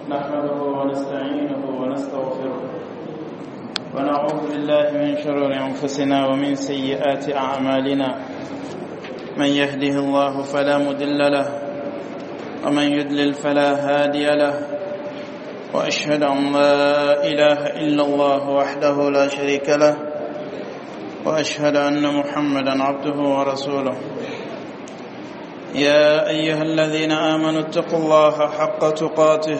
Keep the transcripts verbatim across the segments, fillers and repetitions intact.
نحمده ونستعينه ونستغفره ونعوذ بالله من شرور أنفسنا ومن سيئات أعمالنا. من يهده الله فلا مضل له ومن يضلل فلا هادي له، وأشهد أن لا إله إلا الله وحده لا شريك له، وأشهد أن محمدا عبده ورسوله. يا أيها الذين آمنوا اتقوا الله حق تقاته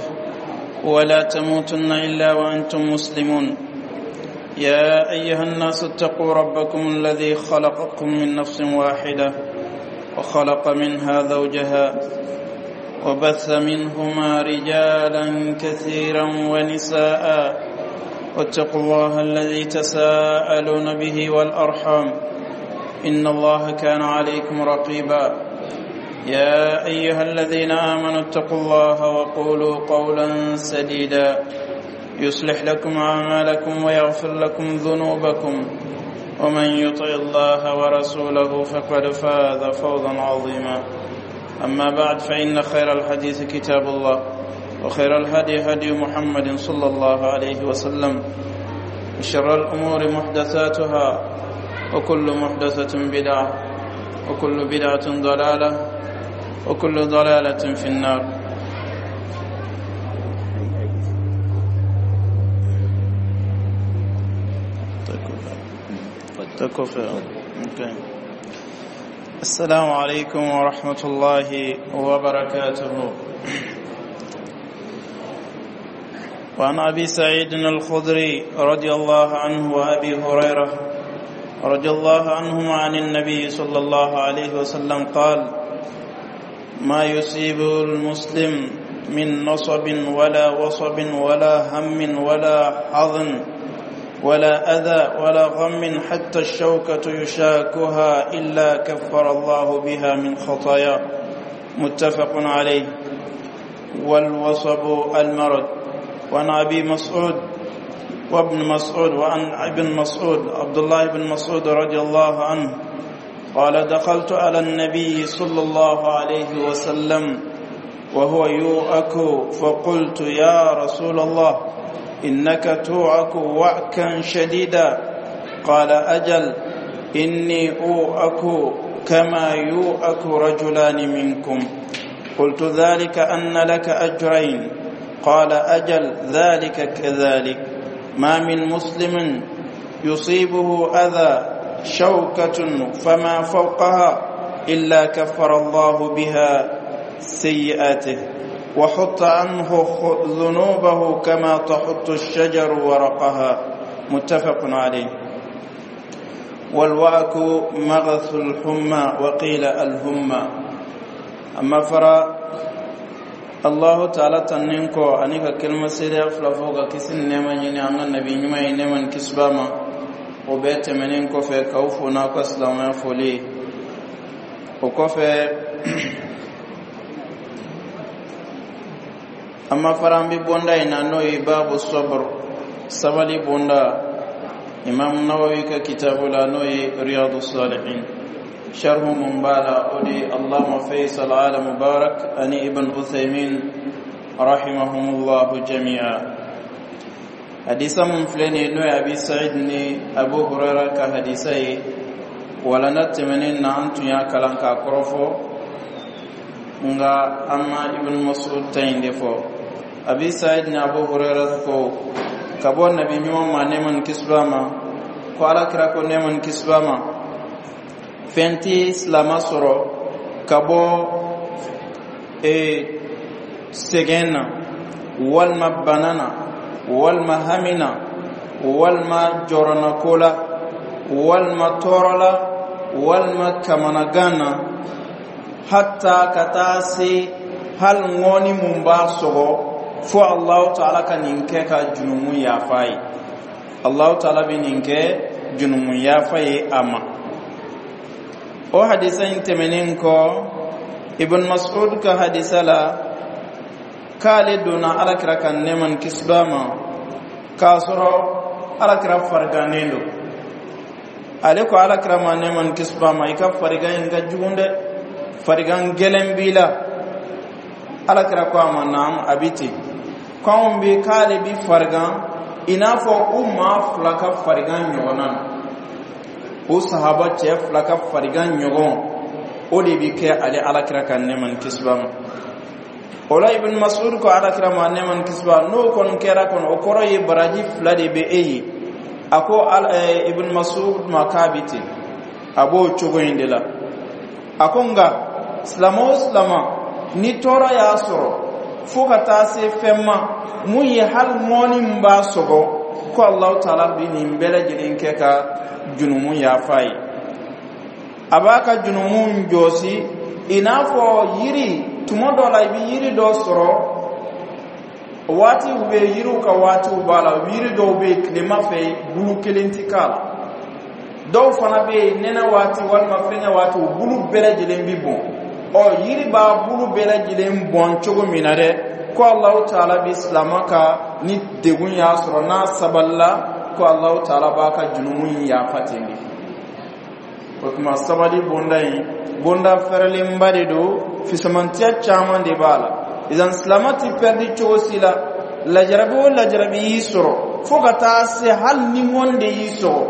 ولا تموتن إلا وأنتم مسلمون. يا أيها الناس اتقوا ربكم الذي خلقكم من نفس واحدة وخلق منها زوجها وبث منهما رجالا كثيرا ونساء، واتقوا الله الذي تساءلون به والأرحام إن الله كان عليكم رقيبا. يا أيها الذين آمنوا اتقوا الله وقولوا قولا سديدا يصلح لكم أعمالكم ويغفر لكم ذنوبكم، ومن يطع الله ورسوله فقد فاز فوزا عظيما. أما بعد، فإن خير الحديث كتاب الله، وخير الهدي هدي محمد صلى الله عليه وسلم، وشر الأمور محدثاتها، وكل محدثة بدعة، وكل بدعة ضلالة، وكل ضلالة في النار. السلام عليكم ورحمة الله وبركاته. وعن أبي سعيد الخدري رضي الله عنه وأبي هريرة رضي الله عنهما عن النبي صلى الله عليه وسلم قال: ما يصيب المسلم من نصب ولا وصب ولا هم ولا حظن ولا أذى ولا غم حتى الشوكة يشاكها إلا كفر الله بها من خطايا. متفق عليه. والوصب المرض. وعن أبي مسعود وابن مسعود وعن ابن مسعود عبد الله بن مسعود رضي الله عنه قال: دخلت على النبي صلى الله عليه وسلم وهو يوأك، فقلت: يا رسول الله، إنك توعك وعكا شديدا. قال: أجل، إني أوعك كما يوعك رجلان منكم. قلت: ذلك أن لك أجرين. قال: أجل، ذلك كذلك. ما من مسلم يصيبه أذى شوكة فما فوقها إلا كفر الله بها سيئاته وحط عنه ذنوبه كما تحط الشجر ورقها. متفق عليه. والوعك مغث الحمى، وقيل الهمة. أما فرا الله تعالى تنينكو أنيك كلمة سيريا فلفوغا كسن نيما يني أن النبي نيما ينيما كسباما وبيت منين كوفي كوفو ناكو سلام فولي وكوفي. أما فرام بوندا إن نوي باب الصبر سبالي بوندا إمام النووي ككتاب لا نوي رياض الصالحين شرح مبالا أولي اللهم فيصل على مبارك أني ابن عثيمين رحمهم الله جميعا. حديث من فلاني نوي أبي سعيد ني أبو هريرة كحديثي ولا نتمنين أنتم يا كلام كأكرفو nga amma ibn Mas'ud tayin defo. Abi Sa'id ni Abu Hurairah ko kabo nabi nyuma ma neman kisbama ko ala kira ko neman kisbama fenti islama soro kabo e segena walma banana walma hamina walma jorona kola walma torola walma kamanagana hatta katasi hal ngoni mumba sogo fo Allah ta'ala ka ninke ka junumu yafai. Allah ta'ala bi ninke junumu yafai ama. O hadisa in temenin ko Ibn Mas'ud ka hadisa la kale donna ala kira kan neman kisbama ka sɔrɔ ala kira farigannen don. Ale ko ala kira ma neman kisbama i ka farigan in ka jugun dɛ, farigan gɛlɛn b'i la. Ala kira ko a ma naam, a bi ten. K'anw bɛ k'ale bi farigan i n'a fɔ u maa fila ka farigan ɲɔgɔnna na, o sahaba cɛ fila ka farigan ɲɔgɔn, o de bi kɛ ale Alakira ka nɛɛma ni kisi b'a ma. O la, Ibn Masud ko Alakira ma, nɛɛma ni kisi b'a, n'o kɔni kɛra kɔni, o kɔrɔ ye baraji fila de bɛ e ye. A ko Ibn Masud ma k'a bi ten, a b'o cogo in de la. A ko nka silama o silama ni tɔɔrɔ y'a sɔrɔ fo ka taa se fɛn ma mun ye, hali ŋɔni min b'a sɔgɔ, ko Alahu Taala bi nin bɛɛ lajɛlen kɛ ka junumu yafa ye, a b'a ka junumu jɔsi i n'a fɔ yiri. Tuma dɔ la, i bɛ yiri dɔ sɔrɔ, waatiw bɛ yiriw ka waatiw b'a la. Yiri dɔw bɛ yen, tilema fɛ bulu kelen ti k'a la. Dɔw fana bɛ yen, nɛnɛ waati walima fɛngɛ waati, u bulu bɛɛ lajɛlen bi bɔn. Ɔ, yiri b'a bulu bɛɛ lajɛlen bɔn cogo min na dɛ, ko Alahu Taala bi silama ka ni degun y'a sɔrɔ, n'a sabalila, ko Alahu Taala b'a ka junumu in yafa ten de. O tuma, sabali bonda in, bonda fɛrɛlenba de don, fisamantiya caman de b'a la. Idan silama ti pɛridi cogo si la. Lajarabi o lajarabi y'i sɔrɔ, fo ka taa se hali ni ŋɔni de y'i sɔrɔ,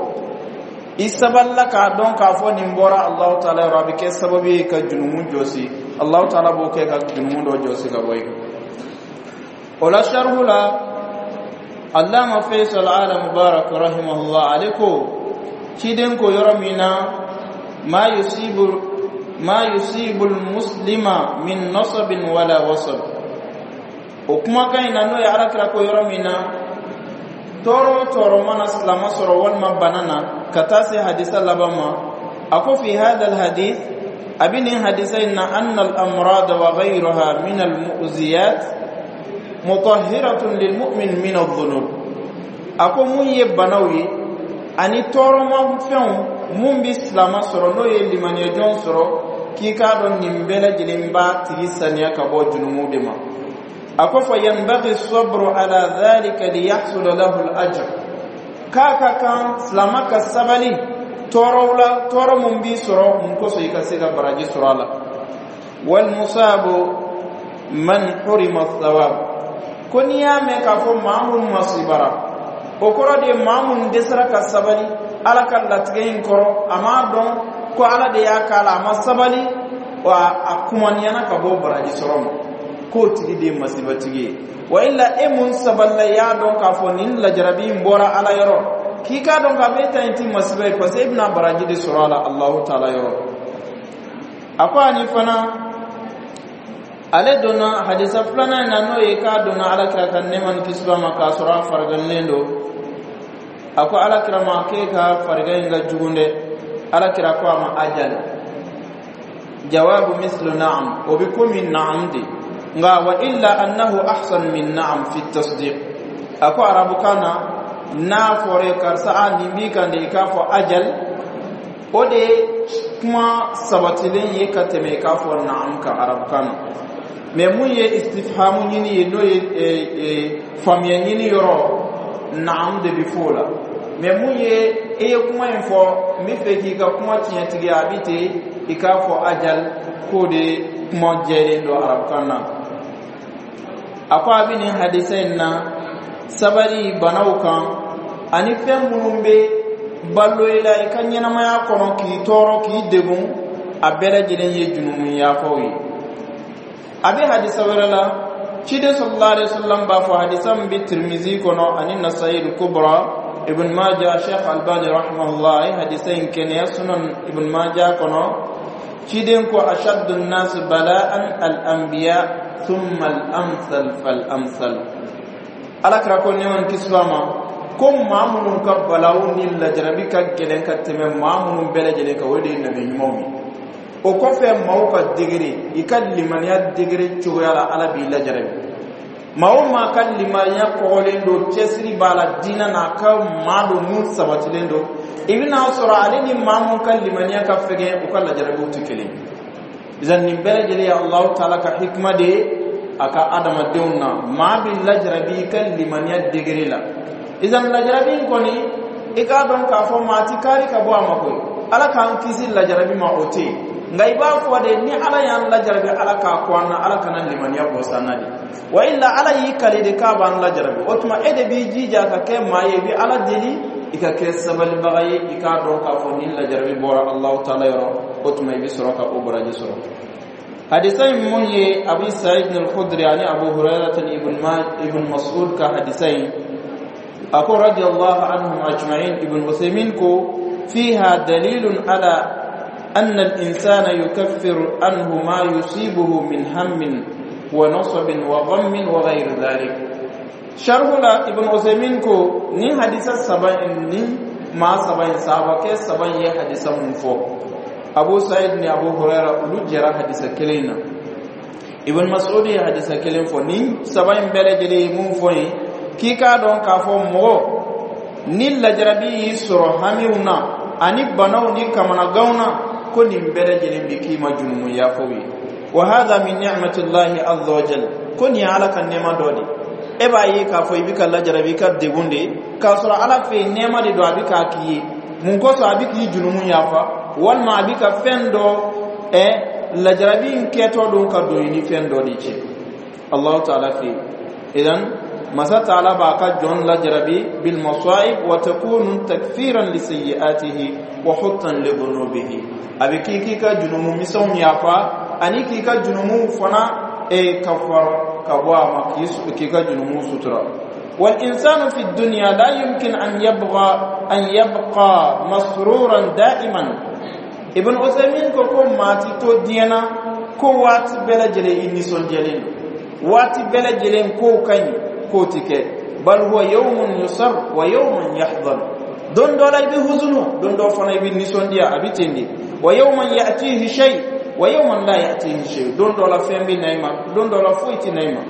i sabalila k'a dɔn k'a fɔ nin bɔra Alahu Taala yɔrɔ, a bɛ kɛ sababu ye ka junumu jɔsi. Alahu Taala b'o kɛ ka junumu dɔ jɔsi ka bɔ i kan. O la, sarihu la, Allama Faisal Ala Mubarak rahimahullah, ale ko ciden ko yɔrɔ min na ma yusibu ma yusibu muslima min nasabin wala wasab, o kumakan in na, n'o ye Alakira ko yɔrɔ min na tɔɔrɔ o tɔɔrɔ mana silama sɔrɔ walima bana na, ka taa se hadisa laban ma. A ko fi hada alhadith, a bi nin hadisa in na, anna al-amrad wa ghayruha min al-mu'ziyat mutahhiratun lilmu'min min adh-dhunub. A ko mun ye banaw ye ani tɔɔrɔmafɛnw mun bi silama sɔrɔ, n'o ye limaniyajɔn sɔrɔ, k'i k'a dɔn nin bɛɛ lajɛlen b'a tigi saniya ka bɔ junumu de ma. A ko fa yanbaghi sabru ala dhalika liyahsula lahu al-ajr, k'a ka kan silama ka sabali tɔɔrɔw la, tɔɔrɔ mun b'i sɔrɔ, mun kosɔn i ka se ka baraji sɔrɔ a la. Wal musabu man hurima thawab, ko n'i y'a mɛn k'a fɔ maa mun masibara, o kɔrɔ de ye maa mun dɛsɛra ka sabali Ala ka latigɛ in kɔrɔ, a m'a dɔn ko Ala de y'a k'a la, a ma sabali wa a kumaniyana ka bɔ baraji sɔrɔ ma, k'o tigi de ye masibatigi ye. Wa illa e mun sabalila, i y'a dɔn k'a fɔ nin lajarabi in bɔra Ala yɔrɔ, k'i k'a dɔn k'a fɔ e ta in ti masiba ye, parce que e bɛna baraji de sɔrɔ a la Alahu Taala yɔrɔ. A ko ani fana ale donna hadisa filanan in na, n'o ye k'a donna Alakira ka nɛɛma ni kisi b'a ma k'a sɔrɔ a fariganlen don. A ko Alakira ma k'e ka farigan in ka jugu dɛ. Alakira ko a ma ajal, jawabu mislu na'am, o bi komi na'am de, nka wa illa annahu ahsan min na'am fi tasdiq. A ko arabukan na, n'a fɔra karisa a nin b'i kan de, i k'a fɔ ajal, o de ye kuma sabatilen ye ka tɛmɛ i k'a fɔ na'am kan arabukan na. Mɛ mun ye istifhamu ɲini ye, n'o ye faamuya ɲini yɔrɔ, na'am de bi fɔ o la. Mɛ mun ye e ye kuma in fɔ, n bɛ fɛ k'i ka kuma tiɲɛtigiya, a bi ten i k'a fɔ ajal, k'o de kuma jɛlen don arabukan na. A ko a bɛ nin hadisa in na, sabali banaw kan ani fɛn minnu bɛ balo i la i ka ɲɛnamaya kɔnɔ k'i tɔɔrɔ, k'i degun, a bɛɛ lajɛlen ye junumu yafaw ye. A bɛ hadisa wɛrɛ la, ciden sallallahu alaihi wasallam b'a fɔ, hadisa min bɛ Tirimizi kɔnɔ ani Nasayi Kubra, Ibn Majah, Sheikh Albani rahimahullah a ye hadisa in kɛnɛya Sunan Ibn Majah kɔnɔ. Ciden ko ashaddu an-nas bala'an al-anbiya thumma al-amthal fal-amthal. Alakira ko, nɛɛma ni kisi b'a ma, ko maa minnu ka balawu ni lajarabi ka gɛlɛn ka tɛmɛ maa minnu bɛɛ lajɛlen kan, o de ye nabi ɲumanw ye. O kɔfɛ, maaw ka degré, i ka limaniya degré cogoya la, Ala b'i lajarabi. Maa o maa ka limaniya kɔgɔlen don, cɛsiri b'a la diinɛ na, a ka maa don mun sabatilen don, i bɛna sɔrɔ ale ni maa mun ka limaniya ka fɛgɛn, u ka lajarabiw tɛ kelen ye. Nin bɛɛ lajɛlen ye Alahu Taala ka hikima de ye a ka adamadenw na. Maa bɛ lajarabi i ka limaniya degré la. Idan lajarabi in kɔni, i k'a dɔn k'a fɔ maa ti kari ka bɔ a ma koyi. Ala k'an kisi lajarabi ma, o tɛ yen. Nka i b'a fɔ de, ni Ala y'an lajarabi, Ala k'a ko an na, Ala kana limaniya bɔ san na de. Wa illa, Ala y'i kale de k'a b'an lajarabi. O tuma, e de b'i jija ka kɛ maa ye, i bɛ Ala deli, i ka kɛ sabalibaga ye, i k'a dɔn k'a fɔ nin lajarabi bɔra Alahu Taala yɔrɔ. O tuma, i bɛ sɔrɔ ka o baraji sɔrɔ. Hadisa in mun ye Abu Sa'id al-Khudri ani Abu Hurairah ibn ibn Mas'ud ka hadisa in, a ko radiyallahu anhum ajma'in. Ibn Uthaymin ko fiha dalilun ala أن الإنسان يكفر عنه ما يصيبه من هم ونصب وغم وغير ذلك. شرح la, Ibn Uthaymin ko ni hadisa saba ni maa saba in, sahabakɛ saba in ye hadisa mun fɔ, Abu Sa'id ni Abu Huraira, olu jɛra hadisa kelen na, Ibn Mas'ud ye hadisa kelen fɔ. Ni saba in bɛɛ lajɛlen ye mun fɔ yen, k'i k'a dɔn k'a fɔ mɔgɔ ni lajarabi y'i sɔrɔ hamiw na ani banaw ni kamanaganw na, ko nin bɛɛ lajɛlen bi k'i ma junumu yafaw ye. Wa hadha min ni'matillahi azza wa jalla, ko nin ye Ala ka nɛɛma dɔ de. E b'a ye k'a fɔ i bɛ ka lajarabi, i ka degun de, k'a sɔrɔ Ala fɛ yen nɛɛma de don. A bɛ k'a k'i ye mun kosɔn? A bɛ k'i junumu yafa, walima a bɛ ka fɛn dɔ ɛ lajarabi in kɛtɔ don ka don i ni fɛn dɔ de cɛ Allahu Taala fɛ yen. Idan masa Taala b'a ka jɔn lajarabi bil masa'ib wa takunu takfiran li sayyi'atihi wa huttan li dhunubihi. A bɛ k'i k'i ka junumu misɛnw yafa ani k'i ka junumu fana e kafara ka bɔ a ma, k'i ka junumu sutura. والإنسان في الدنيا لا يمكن أن يبغى أن يبقى مسرورا دائما. Ibn Uthaymin ko ko maa ti to diɲɛ na ko waati bɛɛ lajɛlen i nisɔndiyalen don, waati bɛɛ lajɛlen kow ka ɲi, k'o ti kɛ. Bal huwa yawmun yusar wa yawmun yahzan. Don dɔ la i bɛ huzunu, don dɔ fana i bɛ nisɔndiya, a bɛ ten de. Wa yawman ya'tihi shay wa yawman la ya'tihi shay. Don dɔ la fɛn bɛ na i ma, don dɔ la foyi tɛ na i ma.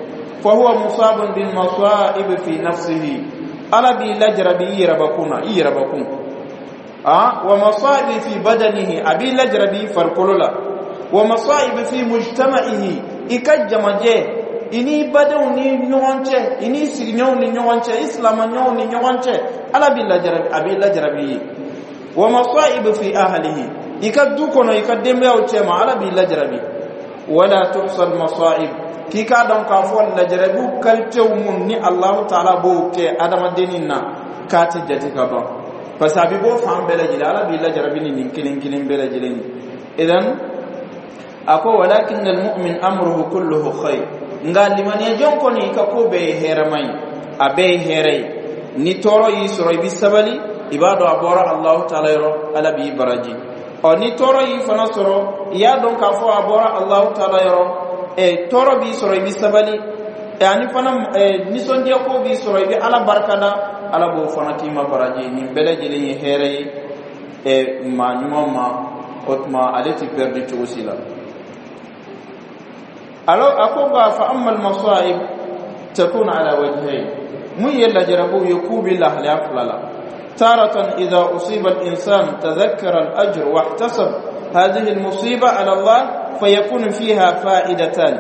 Fa huwa musabun bil masa'ib fi nafsihi. Ala b'i lajarabi i yɛrɛbakun na, i yɛrɛbakun ah wa masa'ib fi badanihi, a b'i lajarabi i farikolo la. Wa masa'ib fi mujtama'ihi, i ka jamajɛ, i ni badenw ni ɲɔgɔn cɛ, i ni sigiɲɔgɔnw ni ɲɔgɔn cɛ, i silamaɲɔgɔnw ni ɲɔgɔn cɛ, Ala b'i lajarabi, a b'i lajarabi ye. Wa masa'ib fi ahlihi, i ka du kɔnɔ, i ka denbayaw cɛ ma, Ala b'i lajarabi. Wala tuhsal masa'ib. K'i k'a dɔn k'a fɔ lajarabiw qualitéw mun ni Alahu Taala b'o kɛ adamadennin na, k'a ti jate ka ban, parce que a bɛ bɔ fan bɛɛ lajɛlen. Ala b'i lajarabi ni nin kelen kelen bɛɛ lajɛlen ye. Idan a ko walakin almu'min amruhu kulluhu khair. Nka limaniya jɔn kɔni, i ka ko bɛɛ ye hɛrɛma ye, a bɛɛ ye hɛrɛ ye. Ni tɔɔrɔ y'i sɔrɔ, i bɛ sabali, i b'a dɔn a bɔra Alahu Taala yɔrɔ, Ala b'i baraji. Ɔ ni tɔɔrɔ y'i fana sɔrɔ, i y'a dɔn k'a fɔ a bɔra Alahu Taala yɔrɔ. Ɛ tɔɔrɔ b'i sɔrɔ, i bɛ sabali. Ɛ ani fana ɛ nisɔndiya ko b'i sɔrɔ, i bɛ Ala barikada, Ala b'o fana k'i ma baraji. Nin bɛɛ lajɛlen ye hɛrɛ ye ɛ maa ɲuman ma. O tuma, ale ti perdu cogo si la. Alors a ko nka fa amma al-masa'ib takun ala wajhayn. Mun ye lajarabiw ye, k'u bɛ lahalaya fila la. تارة إذا أصيب الإنسان تذكر الأجر واحتسب هذه المصيبة على الله، فيكون فيها فائدتان: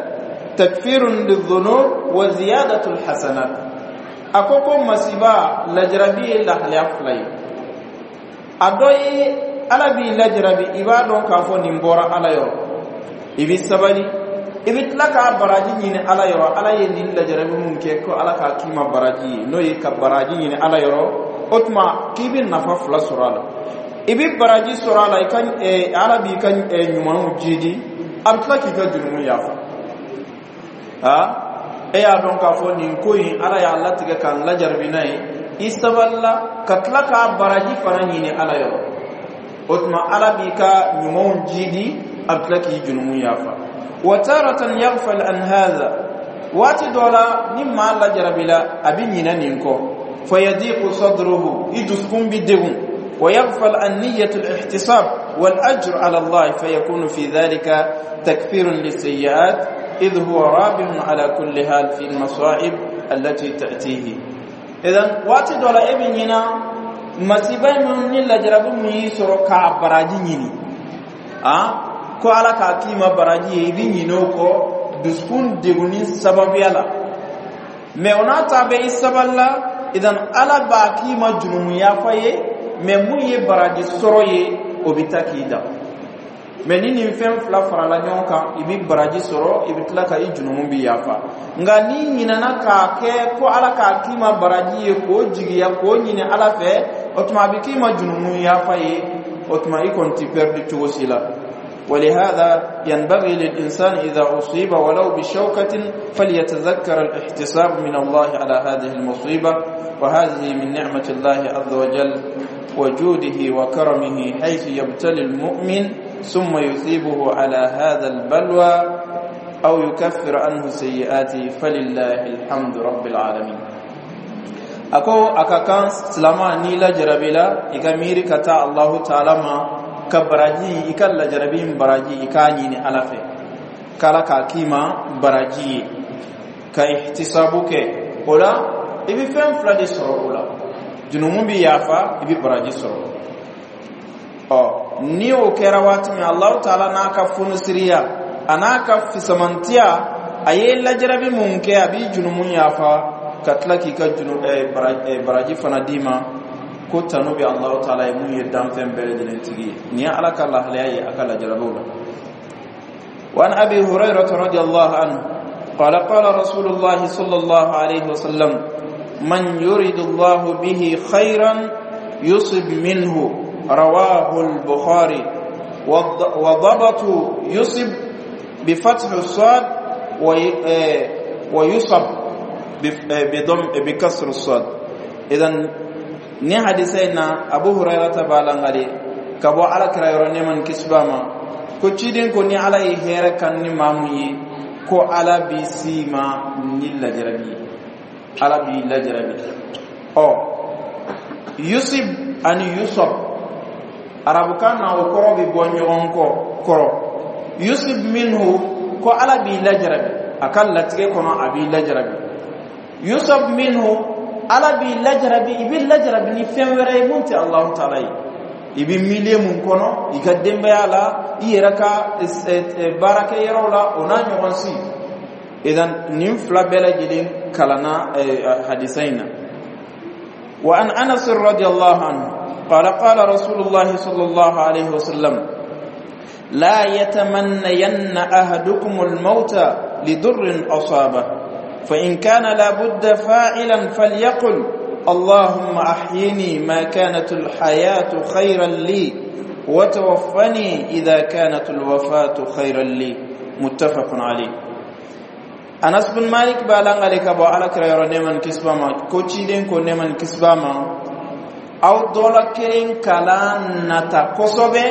تكفير للذنوب وزيادة الحسنات. أكوكو masiba lajarabi lahalaya fila ye. A dɔ ye, Ala b'i lajarabi, i b'a dɔn k'a fɔ nin bɔra Ala yɔrɔ, i bɛ sabali, i bɛ tila k'a baraji ɲini Ala yɔrɔ. Ala ye nin lajarabi mun kɛ, ko Ala k'a k'i ma baraji ye, n'o ye ka baraji ɲini Ala yɔrɔ. O tuma, k'i bɛ nafa fila sɔrɔ a la: i bɛ baraji sɔrɔ a la, i ka Ala b'i ka ɲumanw jidi, a bɛ tila k'i ka jurumu yafa. Aa, e y'a dɔn k'a fɔ nin ko in, Ala y'a latigɛ k'an lajarabi n'a ye, i sabalila ka tila k'a baraji fana ɲini Ala yɔrɔ. O tuma, Ala b'i ka ɲumanw jidi, a bɛ tila k'i jurumu yafa. Wa taratan yaghfal an hadha. Waati dɔ la, ni maa lajarabila, a bɛ ɲinɛ nin kɔ. Fayadiqu sadruhu, i dusukun bi degun. ويغفل عن نية الاحتساب والأجر على الله، فيكون في ذلك تكفير للسيئات، إذ هو رابح على كل حال في المصائب التي تأتيه. إذن waati dɔ la, e bɛ ɲina masiba min ni lajarabi min y'i sɔrɔ, k'a baraji ɲini, ah ko Ala k'a k'i ma baraji ye, i bɛ ɲinɛ o kɔ dusukun degunni sababuya la. Mɛ o n'a ta bɛɛ, i sabalila. Idan Ala b'a k'i ma jurumu yafa ye, mɛ mun ye baraji sɔrɔ ye, o bɛ taa k'i dan. Mɛ ni nin fɛn fila farala ɲɔgɔn kan, i bɛ baraji sɔrɔ, i bɛ tila ka i jurumu bi yafa. Nka n'i ɲinɛna k'a kɛ ko Ala k'a k'i ma baraji ye, k'o jigiya k'o ɲini Ala fɛ, o tuma a bɛ k'i ma junumu yafa ye. O tuma i kɔni ti perdu cogo si la. ولهذا ينبغي للإنسان إذا أصيب ولو بشوكة فليتذكر الاحتساب من الله على هذه المصيبة، وهذه من نعمة الله عز وجل وجوده وكرمه، حيث يبتلي المؤمن ثم يثيبه على هذا البلوى أو يكفر عنه سيئاته، فلله الحمد رب العالمين. Ako a ka kan silama, n'i lajarabila, i ka miiri ka taa Allahu Taala ma ka baraji, i ka lajarabi in baraji, i k'a ɲini Ala fɛ k'Ala k'a k'i ma baraji ye, ka ihtisabu kɛ. O la i bɛ fɛn fila de sɔrɔ o la: junumu bɛ yafa, i bɛ baraji sɔrɔ. Ɔ, ni o kɛra waati min, Allahu Taala n'a ka funisiriya, a n'a ka fisamantiya, a ye lajarabi mun kɛ, a b'i junumu yafa ka tila k'i ka junu baraji fana d'i ma. Ko tanu bɛ Allahu Taala ye, mun ye danfɛn bɛɛ lajɛlen tigi ye. Nin ye Ala ka lahalaya ye a ka lajarabiw la. وعن أبي هريرة رضي الله عنه قال: قال رسول الله صلى الله عليه وسلم: من يرد الله به خيرا يصب منه. رواه البخاري. وضبط يصب بفتح الصاد ويصب بضم بكسر الصاد. إذن ni hadisa in na, Abu Hurairata b'a langale ka bɔ Ala kira yɔrɔ, nɛɛma ni kisi b'a ma, ko ciden ko ni Ala ye hɛrɛ kan ni maa mun ye, ko Ala b'i s'i ma ni lajarabi ye, Ala b'i lajarabi. Ɔ, yusib ani yusab, arabukan na, o kɔrɔ bɛ bɔ ɲɔgɔn kɔ kɔrɔ. Yusib minhu, ko Ala b'i lajarabi a ka latigɛ kɔnɔ, a b'i lajarabi. Yusab minhu, Ala b'i lajarabi, i bɛ lajarabi ni fɛn wɛrɛ ye mun tɛ Alahu Taala ye, i bɛ milieu mun kɔnɔ, i ka denbaya la, i yɛrɛ ka baarakɛyɔrɔw la, o n'a ɲɔgɔn si. Idan nin fila bɛɛ lajɛlen kalanna hadisa in na. وعن أنس رضي الله عنه قال: قال رسول الله صلى الله عليه وسلم: لا يتمنين أحدكم الموت لضر أصابه، فإن كان لابد فاعلا فليقل: اللهم أحيني ما كانت الحياة خيرا لي، وتوفني إذا كانت الوفاة خيرا لي. متفق عليه. Anas bin Malik b'a langale ka bɔ Ala kira yɔrɔ, nɛɛma ni kisi b'a ma, ko ciden ko, nɛɛma ni kisi b'a ma, aw dɔ la kelen kalan nata kosɛbɛ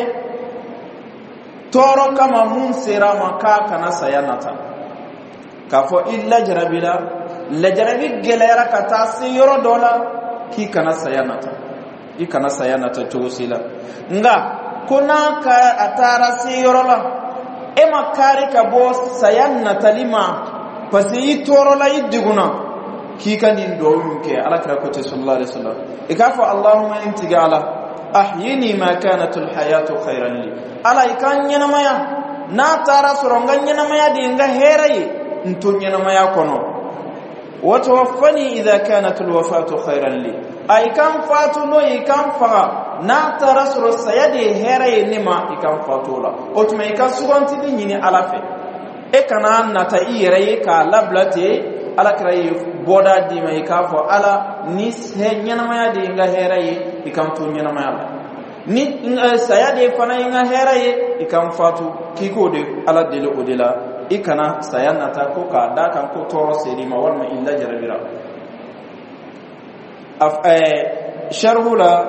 tɔɔrɔ kama mun sera a ma, k'a kana saya nata. K'a fɔ i lajarabi la, lajarabi gɛlɛyara ka taa se yɔrɔ dɔ la, k'i kana saya nata, i kana saya nata cogo si la. Nka ko n'a ka a taara se yɔrɔ la, e ma kari ka bɔ saya natali ma, parce que i tɔɔrɔla, i degunna, k'i ka nin duwawu kɛ. Ala kira ko ten, sallallahu alaihi wasallam, i k'a fɔ: Allahumma, in tigi Ala, ahyini ma kanat alhayatu khayran li. Ala, i ka ɲɛnamaya, n'a taara sɔrɔ n ka ɲɛnamaya de ye n ka hɛrɛ ye, n to ɲɛnamaya kɔnɔ. Wa tawaffani idha kanat alwafatu khayran li. A i kan fatu n'o ye, i kan faga, n'a taara sɔrɔ saya de ye hɛrɛ ye ne ma, i kan fatu o la. O tuma i ka sugantili ɲini Ala fɛ, e kana nata i yɛrɛ ye k'a labila ten. Ala kira ye bɔda d'i ma, i k'a fɔ: Ala, ni ɲɛnamaya de ye n ka hɛrɛ ye, i kan to ɲɛnamaya la. Ni saya de fana ye n ka hɛrɛ ye, i kan fatu. K'i k'o de Ala deli o de la, i kana saya nata ko k'a d'a kan ko tɔɔrɔ ser'i ma walima i lajarabira. Sharhu la,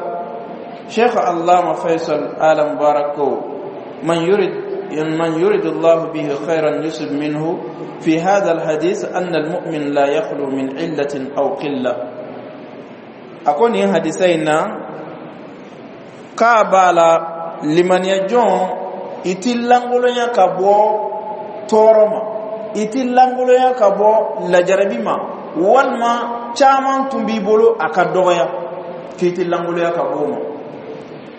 Sheikh Allama Faisal Ala Mubarak ko: من يريد من يريد الله به خيرا يصب منه، في هذا الحديث أن المؤمن لا يخلو من علة أو قلة. أكون حديثين k'a b'a la limaniya jɔn, i ti lankolonya ka bɔ tɔɔrɔ ma, i ti lankolonya ka bɔ lajarabi ma, walima caman tun b'i bolo, a ka dɔgɔya, k'i ti lankolonya ka bɔ o ma,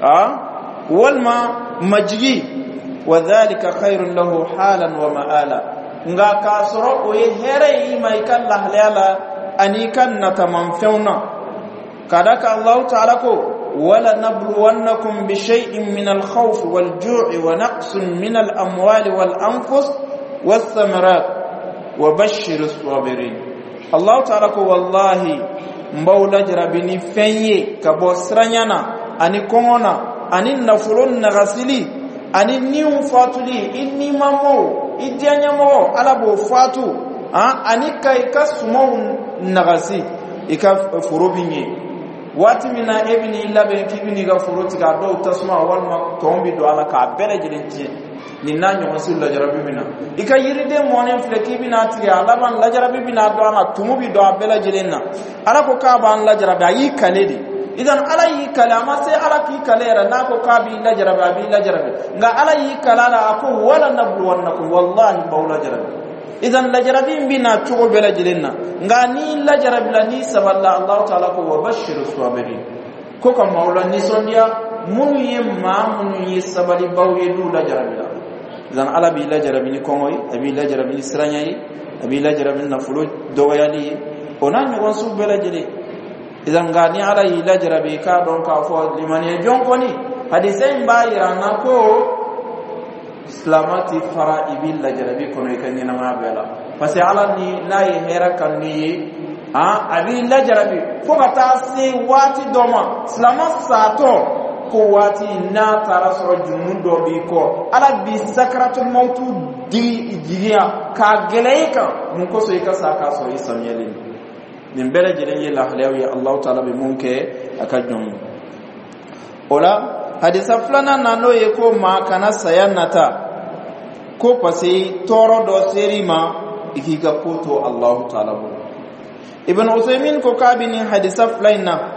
a walima majigi. وذلك خير له حالا ومآلا. Nka k'a sɔrɔ o ye hɛrɛ ye i ma i ka lahalaya la ani i ka natamanfɛnw na, ka da kan Allahu Taala ko: ولنبلونكم بشيء من الخوف والجوع ونقص من الأموال والأنفس والثمرات. Wa bashir as-sabirin. Allah Ta'ala ko: wallahi, n b'aw lajarabi ni fɛn ye ka bɔ siranya na ani kɔngɔ na ani nafolo nagasili ani niw fatuli, i nimamɔgɔw, i diyaɲɛmɔgɔ, Ala b'o fatu, ani ka i ka sumanw nagasi. I ka foro bi ɲɛ waati min na, e bɛ n'i labɛn k'i bɛ n'i ka foro tigɛ, a dɔw tasuma walima tɔn bɛ don a la k'a bɛɛ lajɛlen tiɲɛ. Nin n'a ɲɔgɔn si lajarabi bɛ na. I ka yiriden mɔnen filɛ k'i bɛna tigɛ, a laban lajarabi bɛna don a la, tumu bɛ don a bɛɛ lajɛlen na. Ala ko k'a b'an lajarabi, a y'i kale de. Idan Ala y'i kale, a ma se Ala k'i kale yɛrɛ. N'a ko k'a b'i lajarabi, a b'i lajarabi. Nka Ala y'i kale a la, a ko: wala nabluwannakum, wallahi, b'aw lajarabi. Idan lajarabi in bɛ na cogo bɛɛ lajɛlen na, nka n'i lajarabila, n'i sabalila, Alahu Taala ko: wa bashiru sabirin, ko ka maaw la nisɔndiya, minnu ye maa minnu ye sabalibaw ye n'u lajarabila. Idan Ala b'i lajarabi ni kɔngɔ ye, a b'i lajarabi ni siranya ye, a b'i lajarabi ni nafolo dɔgɔyali ye, o n'a ɲɔgɔn sugu bɛɛ lajɛlen. Idan nka ni Ala y'i lajarabi, i k'a dɔn k'a fɔ limaniya jɔn kɔni, hadisa in b'a yira an na ko silama ti fara, i b'i lajarabi kɔnɔ i ka ɲɛnamaya bɛɛ la, parce que Ala ni n'a ye hɛrɛ kanu n'i ye, a b'i lajarabi fo ka taa se waati dɔ ma. Silama satɔ ko waati n'a taara sɔrɔ jurumu dɔ b'i kɔ, Ala b'i sakaratul mawtu digi jigiya k'a gɛlɛya i kan. Mun kosɔn? I ka sa k'a sɔrɔ i samiyalen. Nin bɛɛ lajɛlen ye lahalayaw ye Alahu Taala bɛ mun kɛ a ka jɔn ye. O la, hadisa filanan na, n'o ye ko maa kana saya nata ko parce que tɔɔrɔ dɔ ser'i ma, i k'i ka ko to Alahu Taala bolo. Ibn Usaymin ko k'a bɛ nin hadisa fila in na,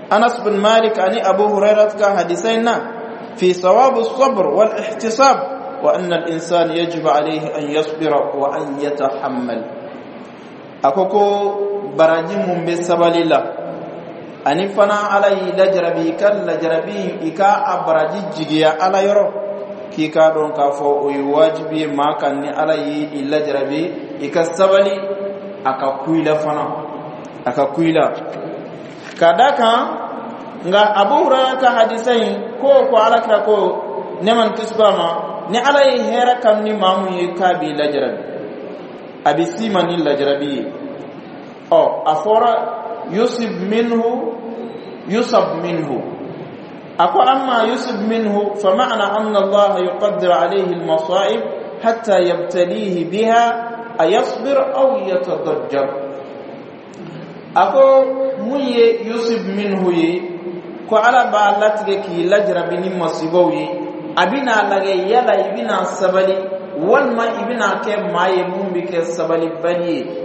Anas bin Malik ani Abu Hurairah ka hadisa in na, fi sawabu sabr wal ihtisab wa anna al insan yajibu alayhi an yasbira wa an yatahammal. A ko ko baraji mun bɛ sabali la, ani fana Ala y'i lajarabi, i ka lajarabi, i ka a baraji jigiya Ala yɔrɔ, k'i k'a dɔn k'a fɔ o ye wajibi ye maa kan. Ni Ala y'i lajarabi, i ka sabali, a ka ku i la fana, a ka ku i la ka da kan. Nka Abu Hurayra ka hadisa in ko ko Ala kira ko, nɛɛma ni kisi b'a ma, ni Ala ye hɛrɛ kanu ni maa mun ye, k'a b'i lajarabi, a bɛ s'i ma ni lajarabi ye. Ɔ, a fɔra yusib minhu, yusab minhu. A ko: amma yusib minhu, fa ma'na anna Allah yuqaddir alayhi al-masa'ib hatta yabtalihi biha, ayasbir aw yatadajjar. A ko mun ye yusib minhu ye? Ko Ala b'a latigɛ k'i lajarabi ni masibaw ye, a bɛna lagɛ yala i bɛna sabali walima i bɛna kɛ maa ye mun bɛ kɛ sabalibali ye,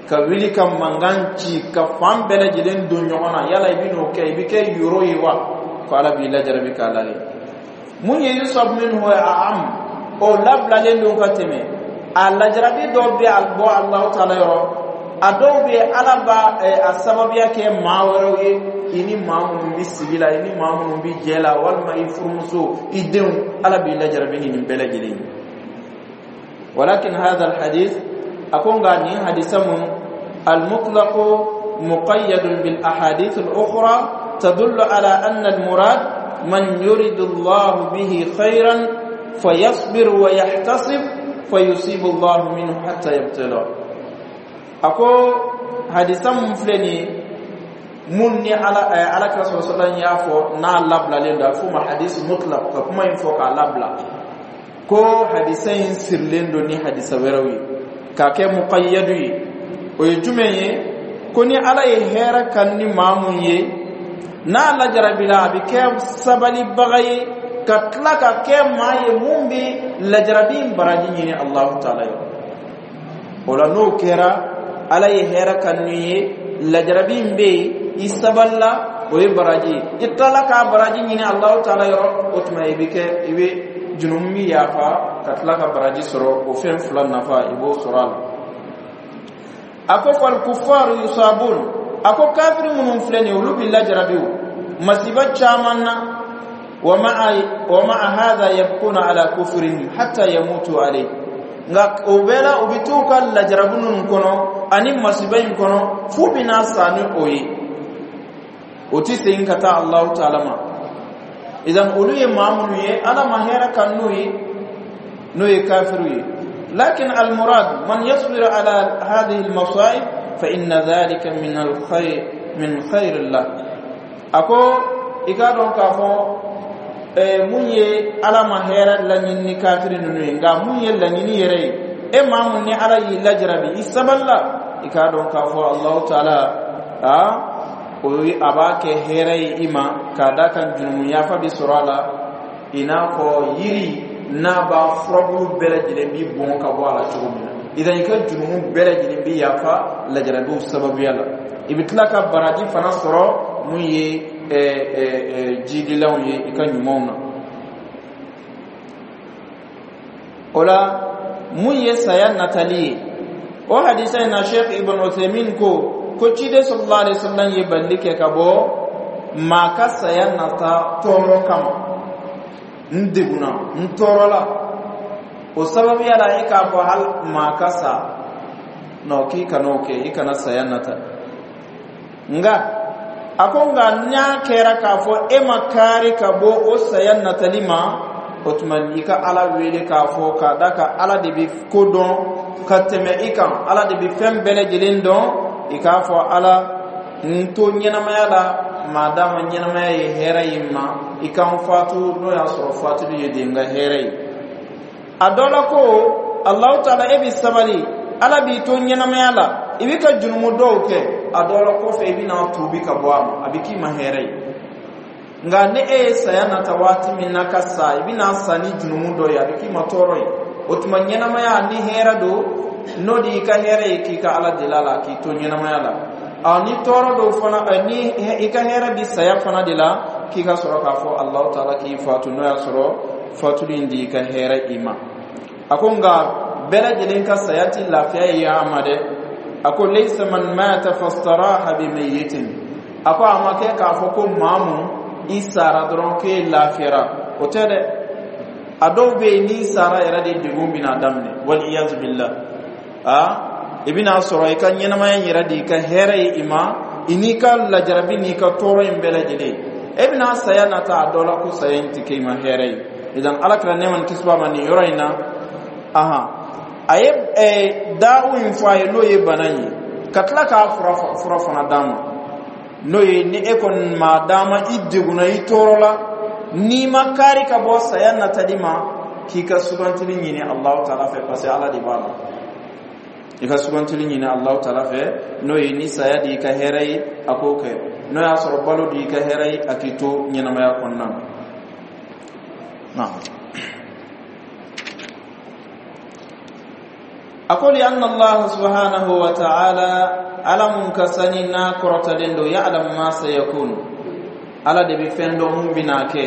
ka wuli ka mankan ci ka fan bɛɛ lajɛlen don ɲɔgɔn na. Yala i bɛn'o kɛ, i bɛ kɛ yoro ye wa? Ko Ala b'i lajarabi k'a lagɛ. Mun ye yusab minhu ye? A am o labilalen don ka tɛmɛ. A lajarabi dɔw bɛ a bɔ Alahu Taala yɔrɔ, a dɔw bɛ Ala b'a a sababuya kɛ maa wɛrɛw ye, i ni maa minnu bɛ sigi la, i ni maa minnu bɛ jɛ la, walima i furumuso, i denw. Ala b'i lajarabi ni nin bɛɛ lajɛlen ye. Walakin hadha alhadith, a ko nka nin hadisa mun المطلق مقيد بالأحاديث الأخرى تدل على أن المراد من يريد الله به خيرا فيصبر ويحتسب فيصيب الله منه حتى يبتلى. A ko hadisa mun filɛ nin ye, mun ni ala ala kira sɔrɔ sɔrɔ y'a fɔ, n'a labilalen don, a bɛ f'o ma hadis mutlaq, ka kuma in fɔ k'a labila, ko hadisa in sirilen don ni hadisa wɛrɛw ye k'a kɛ muqayyadu ye. O ye jumɛn ye? Ko ni Ala ye hɛrɛ kan ni maa mun ye, n'a lajarabila, a bɛ kɛ sabalibaga ye ka tila ka kɛ maa ye mun bɛ lajarabi in baraji ɲini Alahu Taala ye. O la, n'o kɛra, Ala ye hɛrɛ kan ni ye, lajarabi in bɛ yen, i sabalila, o ye baraji ye, i tilala k'a baraji ɲini Alahu Taala yɔrɔ, o tuma i bɛ kɛ i bɛ junumu min yafa ka tila ka baraji sɔrɔ. O fɛn fila nafa, i b'o sɔrɔ a la. A ko fal kufaru yusabun. A ko kafiri minnu filɛ nin ye, olu bɛ lajarabi o masiba caman na. Wa ma'a wa ma'a hadha yabquna ala kufrihim hatta yamutu alayhi. Nka o bɛɛ la, u bɛ t'u ka lajarabi ninnu kɔnɔ ani masiba in kɔnɔ f'u bɛna sa ni o ye, o tɛ segin ka taa Alahu Taala ma. Idan olu ye maa minnu ye, Ala ma hɛrɛ kan n'u ye, n'o ye kafiriw ye. لكن المراد من يصبر على هذه المصائب فإن ذلك من الخير من خير الله. Ako i k'a dɔn k'a fɔ mun ye Ala ma hɛrɛ laɲini ni kafiri ninnu ye, nka mun ye laɲini yɛrɛ ye, e maa mun ni Ala y'i lajarabi, i sabalila, i k'a dɔn k'a fɔ Alahu Taala a o ye a b'a kɛ hɛrɛ ye i ma, k'a da kan jurumu yafa bi sɔrɔ a la, i n'a fɔ yiri n'a b'a furabulu bɛɛ lajɛlen bi bɔn ka bɔ a la cogo min na. Idan i ka jurumu bɛɛ lajɛlen bi yafa lajarabiw sababuya la, i bɛ tila ka baraji fana sɔrɔ mun ye jidilanw ye i ka ɲumanw na. O la mun ye saya natali ye, o hadisa in na, Sheikh Ibn Uthaymin ko ko ciden sallallahu alaihi wasallam ye balili kɛ ka bɔ maa ka saya nata tɔɔrɔ kama. N degunna, n tɔɔrɔla, o sababuya la e k'a fɔ hali maa ka sa nɔ, k'i kana o kɛ, i kana saya nata. Nka a ko nka n'a kɛra k'a fɔ e ma kaari ka bɔ o saya natali ma, o tuma i ka Ala wele k'a fɔ, k'a da ka Ala de bɛ ko dɔn ka tɛmɛ i kan, Ala de bɛ fɛn bɛɛ lajɛlen dɔn. I k'a fɔ Ala, n to ɲɛnamaya la, maadama ɲɛnamaya ye hɛrɛ ye n ma, i ka n fatu n'o y'a sɔrɔ fatuli ye de n ka hɛrɛ ye. A dɔ la ko Alahu Taala, e bɛ sabali, Ala b'i to ɲɛnamaya la, i bɛ ka jurumu dɔw kɛ, a dɔ la kɔfɛ i bɛna tuubi ka bɔ a ma, a bɛ k'i ma hɛrɛ ye. Nka ni e ye saya nata waati min na ka sa, i bɛna sa ni jurumu dɔ ye, a bɛ k'i ma tɔɔrɔ ye. O tuma ɲɛnamaya ni hɛrɛ don, n'o de y'i ka hɛrɛ ye, k'i ka Ala deli a la k'i to ɲɛnamaya la. A ni tɔɔrɔ dɔw fana, ni i ka hɛrɛ bi saya fana de la, k'i ka sɔrɔ k'a fɔ Alahu Taala k'i fatu, n'o y'a sɔrɔ fatuli in de y'i ka hɛrɛ i ma. A ko nka bɛɛ lajɛlen ka saya ti lafiya ye a ma dɛ. A ko laysa man mata fastaraha bi mayyitin. A ko a ma kɛ k'a fɔ ko maa mun i sara dɔrɔn k'e lafiyara, o tɛ dɛ. A dɔw bɛ yen, n'i sara yɛrɛ de, degun bɛna daminɛ, wal iyazu billah. A i bɛna sɔrɔ i ka ɲɛnamaya yɛrɛ de i ka hɛrɛ ye i ma, i n'i ka lajarabi n'i ka tɔɔrɔ in bɛɛ lajɛlen, e bɛna saya nata a dɔ la ko saya in tɛ kɛ i ma hɛrɛ ye. Idan Ala kɛra nɛɛma ni kisi b'a ma nin yɔrɔ in na, ahan, a ye daawu in fɔ a ye, n'o ye bana in ye, ka tila k'a fura fura fana d'a ma, n'o ye ni e kɔni maa d'a ma, i degunna, i tɔɔrɔla, n'i ma kaari ka bɔ saya natali ma, k'i ka sugantili ɲini Alahu Taala fɛ, parce que Ala de b'a la. I ka sugantili ɲini Alahu Taala fɛ, n'o ye ni saya de y'i ka hɛrɛ ye, a k'o kɛ, n'o y'a sɔrɔ balo de y'i ka hɛrɛ ye, a k'i to ɲɛnamaya kɔnɔna na. A ko li anna Allah subhanahu wa ta'ala, Ala mun ka sani n'a kɔrɔtalen don, ya'lam ma sayakun, Ala de bɛ fɛn dɔn mun bɛna kɛ,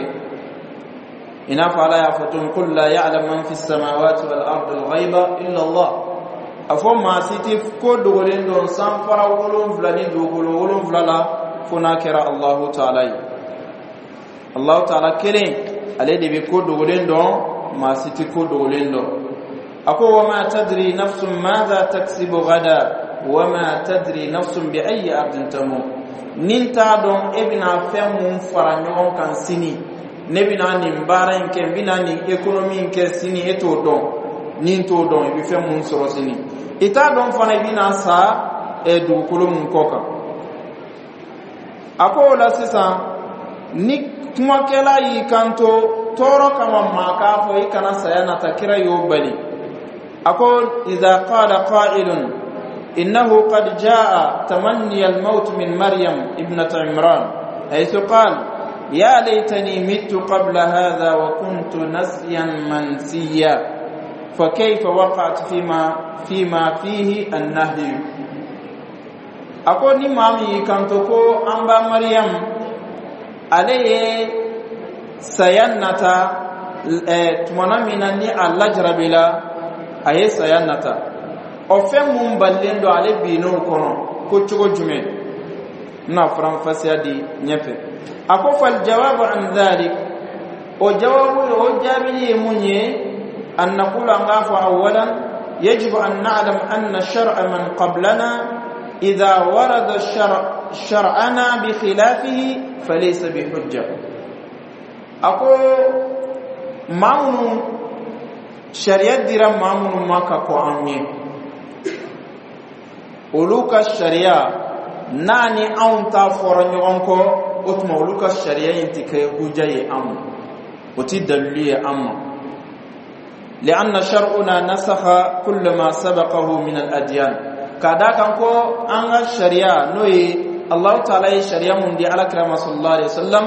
i n'a fɔ Ala y'a fɔ tun qul la ya'lam man fi samawati wal ardi al ghaiba illa Allah. A fɔ maa si tɛ ko dogolen dɔn sanfara wolonfila ni dugukolo wolonfila la fo n'a kɛra Allahu Taala ye. Allahu Taala kelen, ale de bɛ ko dogolen dɔn, maa si tɛ ko dogolen dɔn. A ko wa ma tadri nafsun madha taksibu gada wa ma tadri nafsun bi ayi ardin tamut. Ni t'a dɔn e bɛna fɛn mun fara ɲɔgɔn kan sini, ne bɛna nin baara in kɛ, n bɛna nin économie in kɛ sini, e t'o dɔn. Ni t'o dɔn i bɛ fɛn mun sɔrɔ sini, i t'a dɔn fana i bɛna sa dugukolo mun kɔ kan. A ko o la sisan, ni kumakɛla y'i kanto tɔɔrɔ kama maa k'a fɔ i kana saya nata, kira y'o bali. A ko idha qala qailun innahu qad jaa tamanni al-maut min Maryam ibnat Imran haythu qala ya laytani mittu qabla hadha wa kuntu nasiyan mansiya fa kayfa waqa'at fima fima fihi an-nahy. A ko ni maa min y'i kanto ko an ba Maryam ale ye saya nata tumana min na ni a lajarabila, a ye saya nata, o fɛn mun balilen don, ale binn'o kɔnɔ ko cogo jumɛn? N na faranfasiya di ɲɛfɛ. A ko fal jawabu an dhalik, o jawabu, o jaabili ye mun ye? An naqulu, an k'a fɔ awalan yajibu an na'lam anna shar'a man qablana idha warada shar shar'ana bi khilafihi falaysa bi hujja. A ko maa minnu Sariya dira maa minnu ma ka kɔn an ɲɛ, olu ka sariya n'a ni anw ta fɔra ɲɔgɔn kɔ, o tuma olu ka sariya in tɛ kɛ huja ye an ma, o tɛ dalilu ye an ma. لأن شرعنا نسخ كل ما سبقه من الأديان. K'a da kan ko an ka sariya, n'o ye Allahu taala ye sariya mun di Ala kira ma sallallahu alaihi wasallam,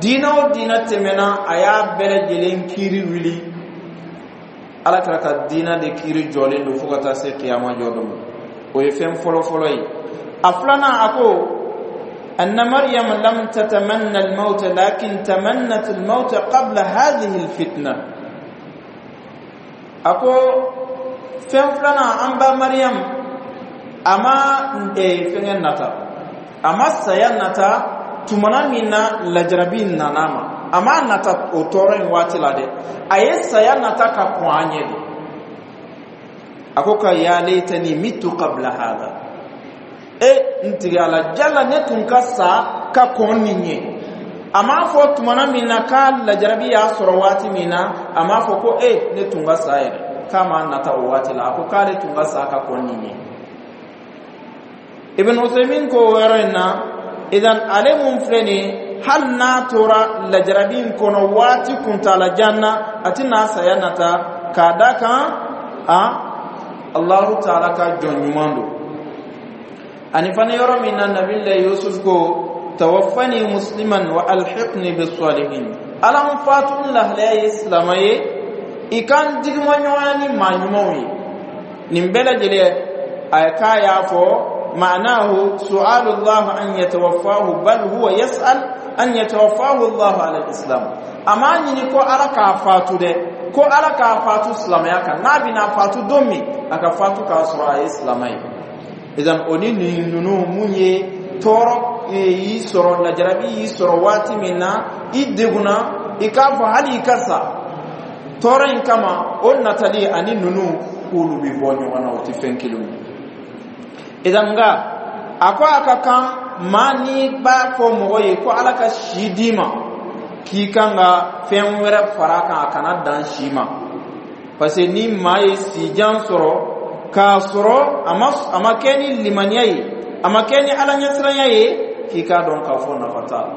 diinɛ o diinɛ tɛmɛna, a y'a bɛɛ lajɛlen kiiri wuli. Ala kira ka diinɛ de kiiri jɔlen don fo ka taa se kiyama jɔ don ma. O ye fɛn fɔlɔ fɔlɔ ye. A filanan, a ko أن مريم لم تتمنى الموت لكن تمنت الموت قبل هذه الفتنة. A ko fɛn filanan, an ba Mariam a ma fɛngɛ nata, a ma saya nata tumana min na lajarabi nana ma. A ma nata o tɔɔrɔ in waati la dɛ, a ye saya nata ka kɔn an ɲɛ de. A ko ka ya laitani mitu qabla hada, e n tigi Ala jala, ne tun ka sa ka kɔn nin ɲɛ. A m'a fɔ tumana min na k'a lajarabi y'a sɔrɔ waati min na, a m'a fɔ ko e ne tun ka sa yɛrɛ, k'a m'a nata o waati la. A ko k'ale tun ka sa ka kɔn nin ɲɛ. Ibn Uthaymin ko o yɔrɔ in na, idan ale mun filɛ nin ye, hali n'a tora lajarabi in kɔnɔ waati kuntalajan na, a tɛna saya nata, k'a da kan a Allahu taala ka jɔn ɲuman don. Ani fana yɔrɔ min na Nabila Yusuf ko tawaffani musliman wa alhiqni bis-salihin, Ala n fatu n lahalaya ye silamɛ ye, i kan digima ɲɔgɔnya ni maa ɲumanw ye. Nin bɛɛ lajɛlen a k'a y'a fɔ معناه سؤال الله أن يتوفاه، بل هو يسأل أن يتوفاه الله على الإسلام. أما ɲini ko Ala k'a fatu dɛ, ko Ala k'a fatu silamɛya kan. N'a bɛna fatu don min, a ka fatu k'a sɔrɔ a ye silamɛ ye. Idan o ni nin ninnu mun ye, tɔɔrɔ y'i sɔrɔ, lajarabi y'i sɔrɔ waati min na, i degunna, i k'a fɔ hali i ka sa tɔɔrɔ in kama, o natali ani ninnu k'olu bɛ bɔ ɲɔgɔn na, o tɛ fɛn kelen ye. Idan nka a ko a ka kan maa n'i b'a fɔ mɔgɔ ye ko Ala ka si d'i ma, k'i kan ka fɛn wɛrɛ fara a kan, a kana dan si ma, parce que ni maa ye sijan sɔrɔ k'a sɔrɔ a ma a ma kɛ ni limaniya ye, a ma kɛ ni Ala ɲɛsiranya ye, k'i k'a dɔn k'a fɔ nafa t'a la.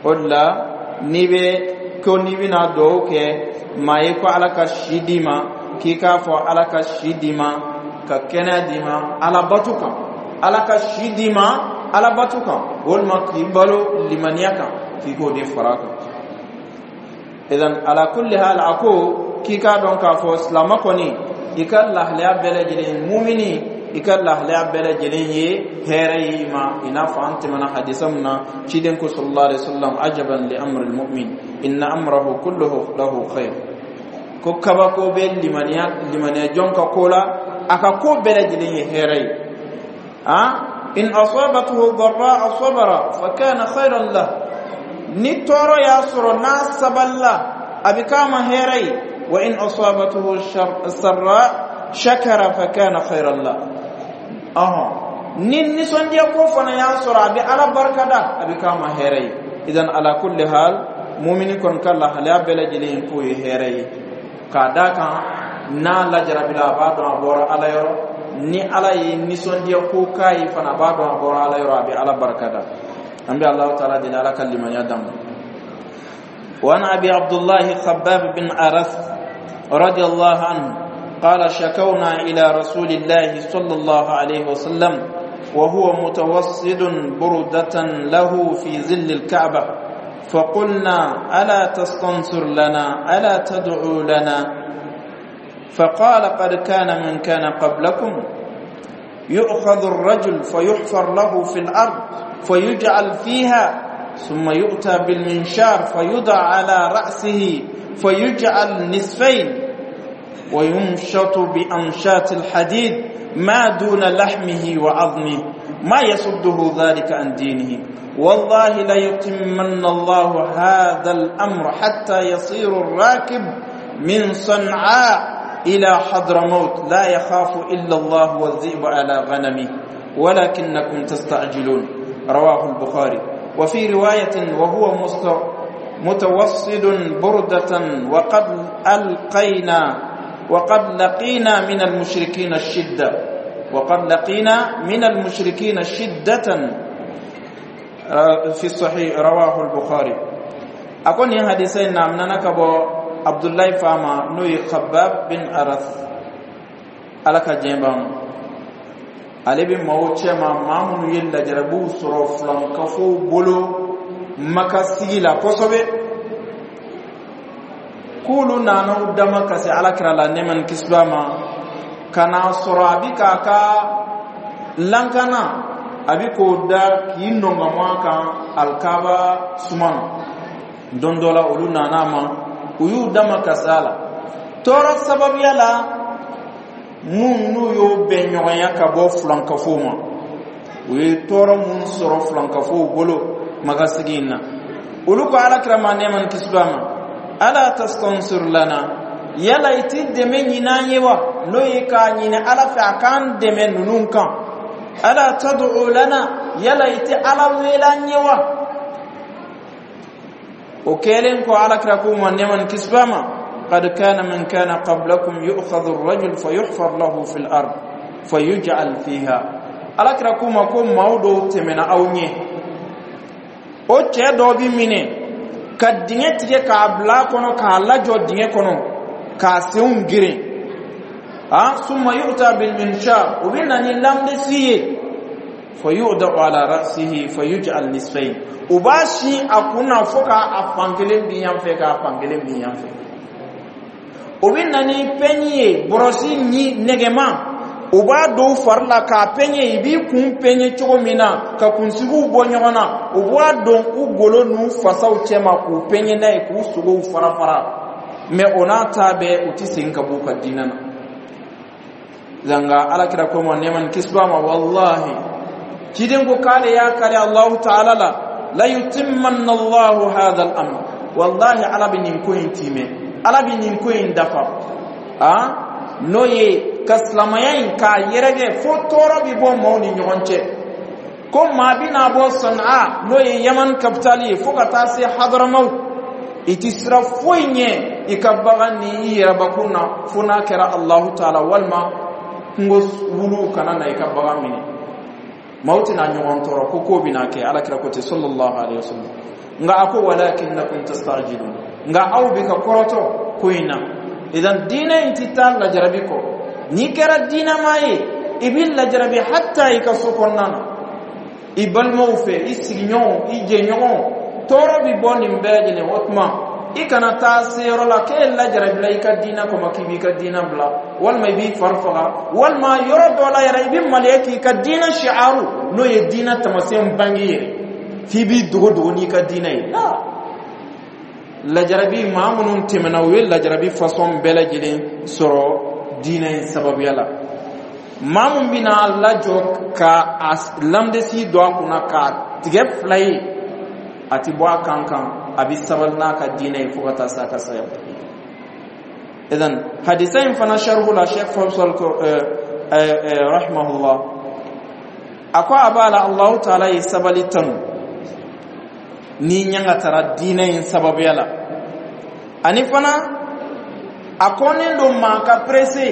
O de la n'i bɛ ko n'i bɛna dugawu kɛ maa ye ko Ala ka si d'i ma, k'i k'a fɔ Ala ka si d'i ma ka kɛnɛya d'i ma Ala bato kan, Ala ka si d'i ma Ala bato kan, walima k'i balo limaniya kan, k'i k'o de fara a kan. Idan ala kulli hal, a ko k'i k'a dɔn k'a fɔ silamɛ kɔni, i ka lahalaya bɛɛ lajɛlen, mumini, i ka lahalaya bɛɛ lajɛlen ye hɛrɛ ye i ma. I n'a fɔ an tɛmɛna hadisa mun na, ciden ko sallallahu alaihi wasallam ajaban li amri almu'min inna amrahu kulluhu lahu khair, ko kabako bɛ limaniya limaniya jɔn ka ko la, a ka ko bɛɛ lajɛlen ye hɛrɛ ye. A in asabathu dharra sabara fa kana khairan lah, ni tɔɔrɔ y'a sɔrɔ n'a sabalila, a bɛ k'a ma hɛrɛ ye. Wa in asabathu sarra shakara fa kana khairan lah, ɔhɔn, ni nisɔndiya ko fana y'a sɔrɔ, a bɛ Ala barikada, a bɛ k'a ma hɛrɛ ye. Idan ala kulli hal, mumini kɔni ka lahalaya bɛɛ lajɛlen k'o ye hɛrɛ ye, k'a d'a kan n'a lajarabila, a b'a dɔn a bɔra Ala yɔrɔ. Ni Ala ye nisɔndiya ko k'a ye fana, a b'a dɔn a bɔra Ala yɔrɔ, a bɛ Ala barikada. An bɛ Alahu taala deli, Ala ka limaniya d'an ma. وعن أبي عبد الله خباب بن أرت رضي الله عنه قال شكونا إلى رسول الله صلى الله عليه وسلم وهو متوسد بردة له في ظل الكعبة، فقلنا ألا تستنصر لنا؟ ألا تدعو لنا؟ فقال قد كان من كان قبلكم يؤخذ الرجل فيحفر له في الأرض فيجعل فيها، ثم يؤتى بالمنشار فيوضع على رأسه فيجعل نصفين، ويمشط بأمشاط الحديد ما دون لحمه وعظمه، ما يصده ذلك عن دينه. والله ليتمن الله هذا الأمر حتى يصير الراكب من صنعاء إلى حضرموت لا يخاف إلا الله والذئب على غنمه، ولكنكم تستعجلون. رواه البخاري. وفي رواية وهو متوسد بردة وقد ألقينا وقد لقينا من المشركين الشدة وقد لقينا من المشركين شدة في الصحيح رواه البخاري أكون حديثين نعم نكبو عبد الله فاما نوي خباب بن أرث ala ka diɲɛ ban ale bɛ maaw cɛma maa minnu ye lajarabiw sɔrɔ filankafow bolo maka sigi la kosɛbɛ k'olu nana u dama ka se alakira la nɛɛma ni kisi b'a ma ka n'a sɔrɔ a bi k'a ka lankana a bi k'o da k'i nɔngɔnmɔ a kan alikaba suma na don dɔ la olu nana a ma u y'u dama ka se a la tɔɔrɔ sababuya la mun n'u y'o bɛn ɲɔgɔnya ka bɔ filankafow ma u ye tɔɔrɔ mun sɔrɔ filankafow bolo magasigi in na olu ko alakira ma nɛɛma ni kisi b'a ma ala tastansir lana yala i ti dɛmɛ ɲini an ye wa n'o ye k'a ɲini ala fɛ a k'an dɛmɛ ninnu kan ala tad'u lana yala i ti ala wele an ye wa o kɛlen kɔ alakira k'u ma nɛɛma ni kisi b'a ma قد كان من كان قبلكم يؤخذ الرجل فيحفر له في الأرض فيجعل فيها alakira k'u ma ko maaw dɔw tɛmɛna aw ɲɛ o cɛ dɔ bi minɛ ka dingɛ tigɛ k'a bila a kɔnɔ k'a lajɔ dingɛ kɔnɔ k'a senw geren a summa yu'ta bil minshar o bɛ na ni lamdesi ye fayudau ala ra'sihi fayuj'al nisfayn u b'a sin a kun na fo k'a fan kelen bin yan fɛ k'a fan kelen bin yan fɛ o bɛ na ni pɛɲi ye bɔrɔsi ni nɛgɛma u b'a don u fari la k'a pɛɲɛ i b'i kun pɛɲɛ cogo min na ka kunsigiw bɔ ɲɔgɔn na u b'a don u golo n'u fasaw cɛma k'u pɛɲɛ n'a ye k'u sogow fara fara mɛ o n'a ta bɛɛ u tɛ segin ka b'u ka diinɛ na nka alakira ko ma nɛɛma ni kisi b'a ma walahi ciden ko k'ale y'a kari alahu taala la la yutimmanna allahu hadha al-amr wallahi ala bɛ nin ko in timɛ ala bɛ nin ko in dafa a n'o ye ka silamɛya in k'a yɛrɛkɛ fo tɔɔrɔ bɛ bɔ maaw ni ɲɔgɔn cɛ ko maa bɛna bɔ sanaa n'o ye yaman kapitali ye fo ka taa se hadaramaw i ti sira foyi ɲɛ i ka bagan ni i yɛrɛbakun na fo n'a kɛra alahu taala walima kungo wuluw kana na i ka bagan minɛ maaw tɛna ɲɔgɔn tɔɔrɔ ko ko bɛna kɛ alakira ko ten sallallahu alaihi wasallam nka a ko walakinnakum tastajilun nka aw bɛ ka kɔrɔtɔ ko in na idan diinɛ in ti taa lajarabi kɔ n'i kɛra diinɛmaa ye i b'i lajarabi hatta i ka so kɔnɔna na i balimaw fɛ i sigiɲɔgɔnw i jɛɲɔgɔnw tɔɔrɔ bɛ bɔ nin bɛɛ lajɛlen o tuma i kana taa se yɔrɔ la k'e lajarabila i ka diinɛ kɔmɔ k'i b'i ka diinɛ bila walima i b'i fari faga walima yɔrɔ dɔ la yɛrɛ i bɛ maloya k'i ka diinɛ shi'aru n'o ye diinɛ taamasiyɛn bange yɛrɛ f'i b'i dogo dogo n'i ka diinɛ ye la lajarabi maa minnu tɛmɛna u ye lajarabi fasɔn bɛɛ lajɛlen sɔrɔ diinɛ in sababuya la maa mun bɛna lajɔ ka a lamdesi don a kunna k'a tigɛ fila ye a ti bɔ a kan kan a bɛ sabali n'a ka diinɛ ye fo ka taa se a ka saya idan hadisa in fana sharhu la sheikh Faisal ko rahimahullah a ko a b'a la Allahu taala ye sabali tanu ni ɲangatara diinɛ in sababuya la ani fana a kɔnnen don maa ka presse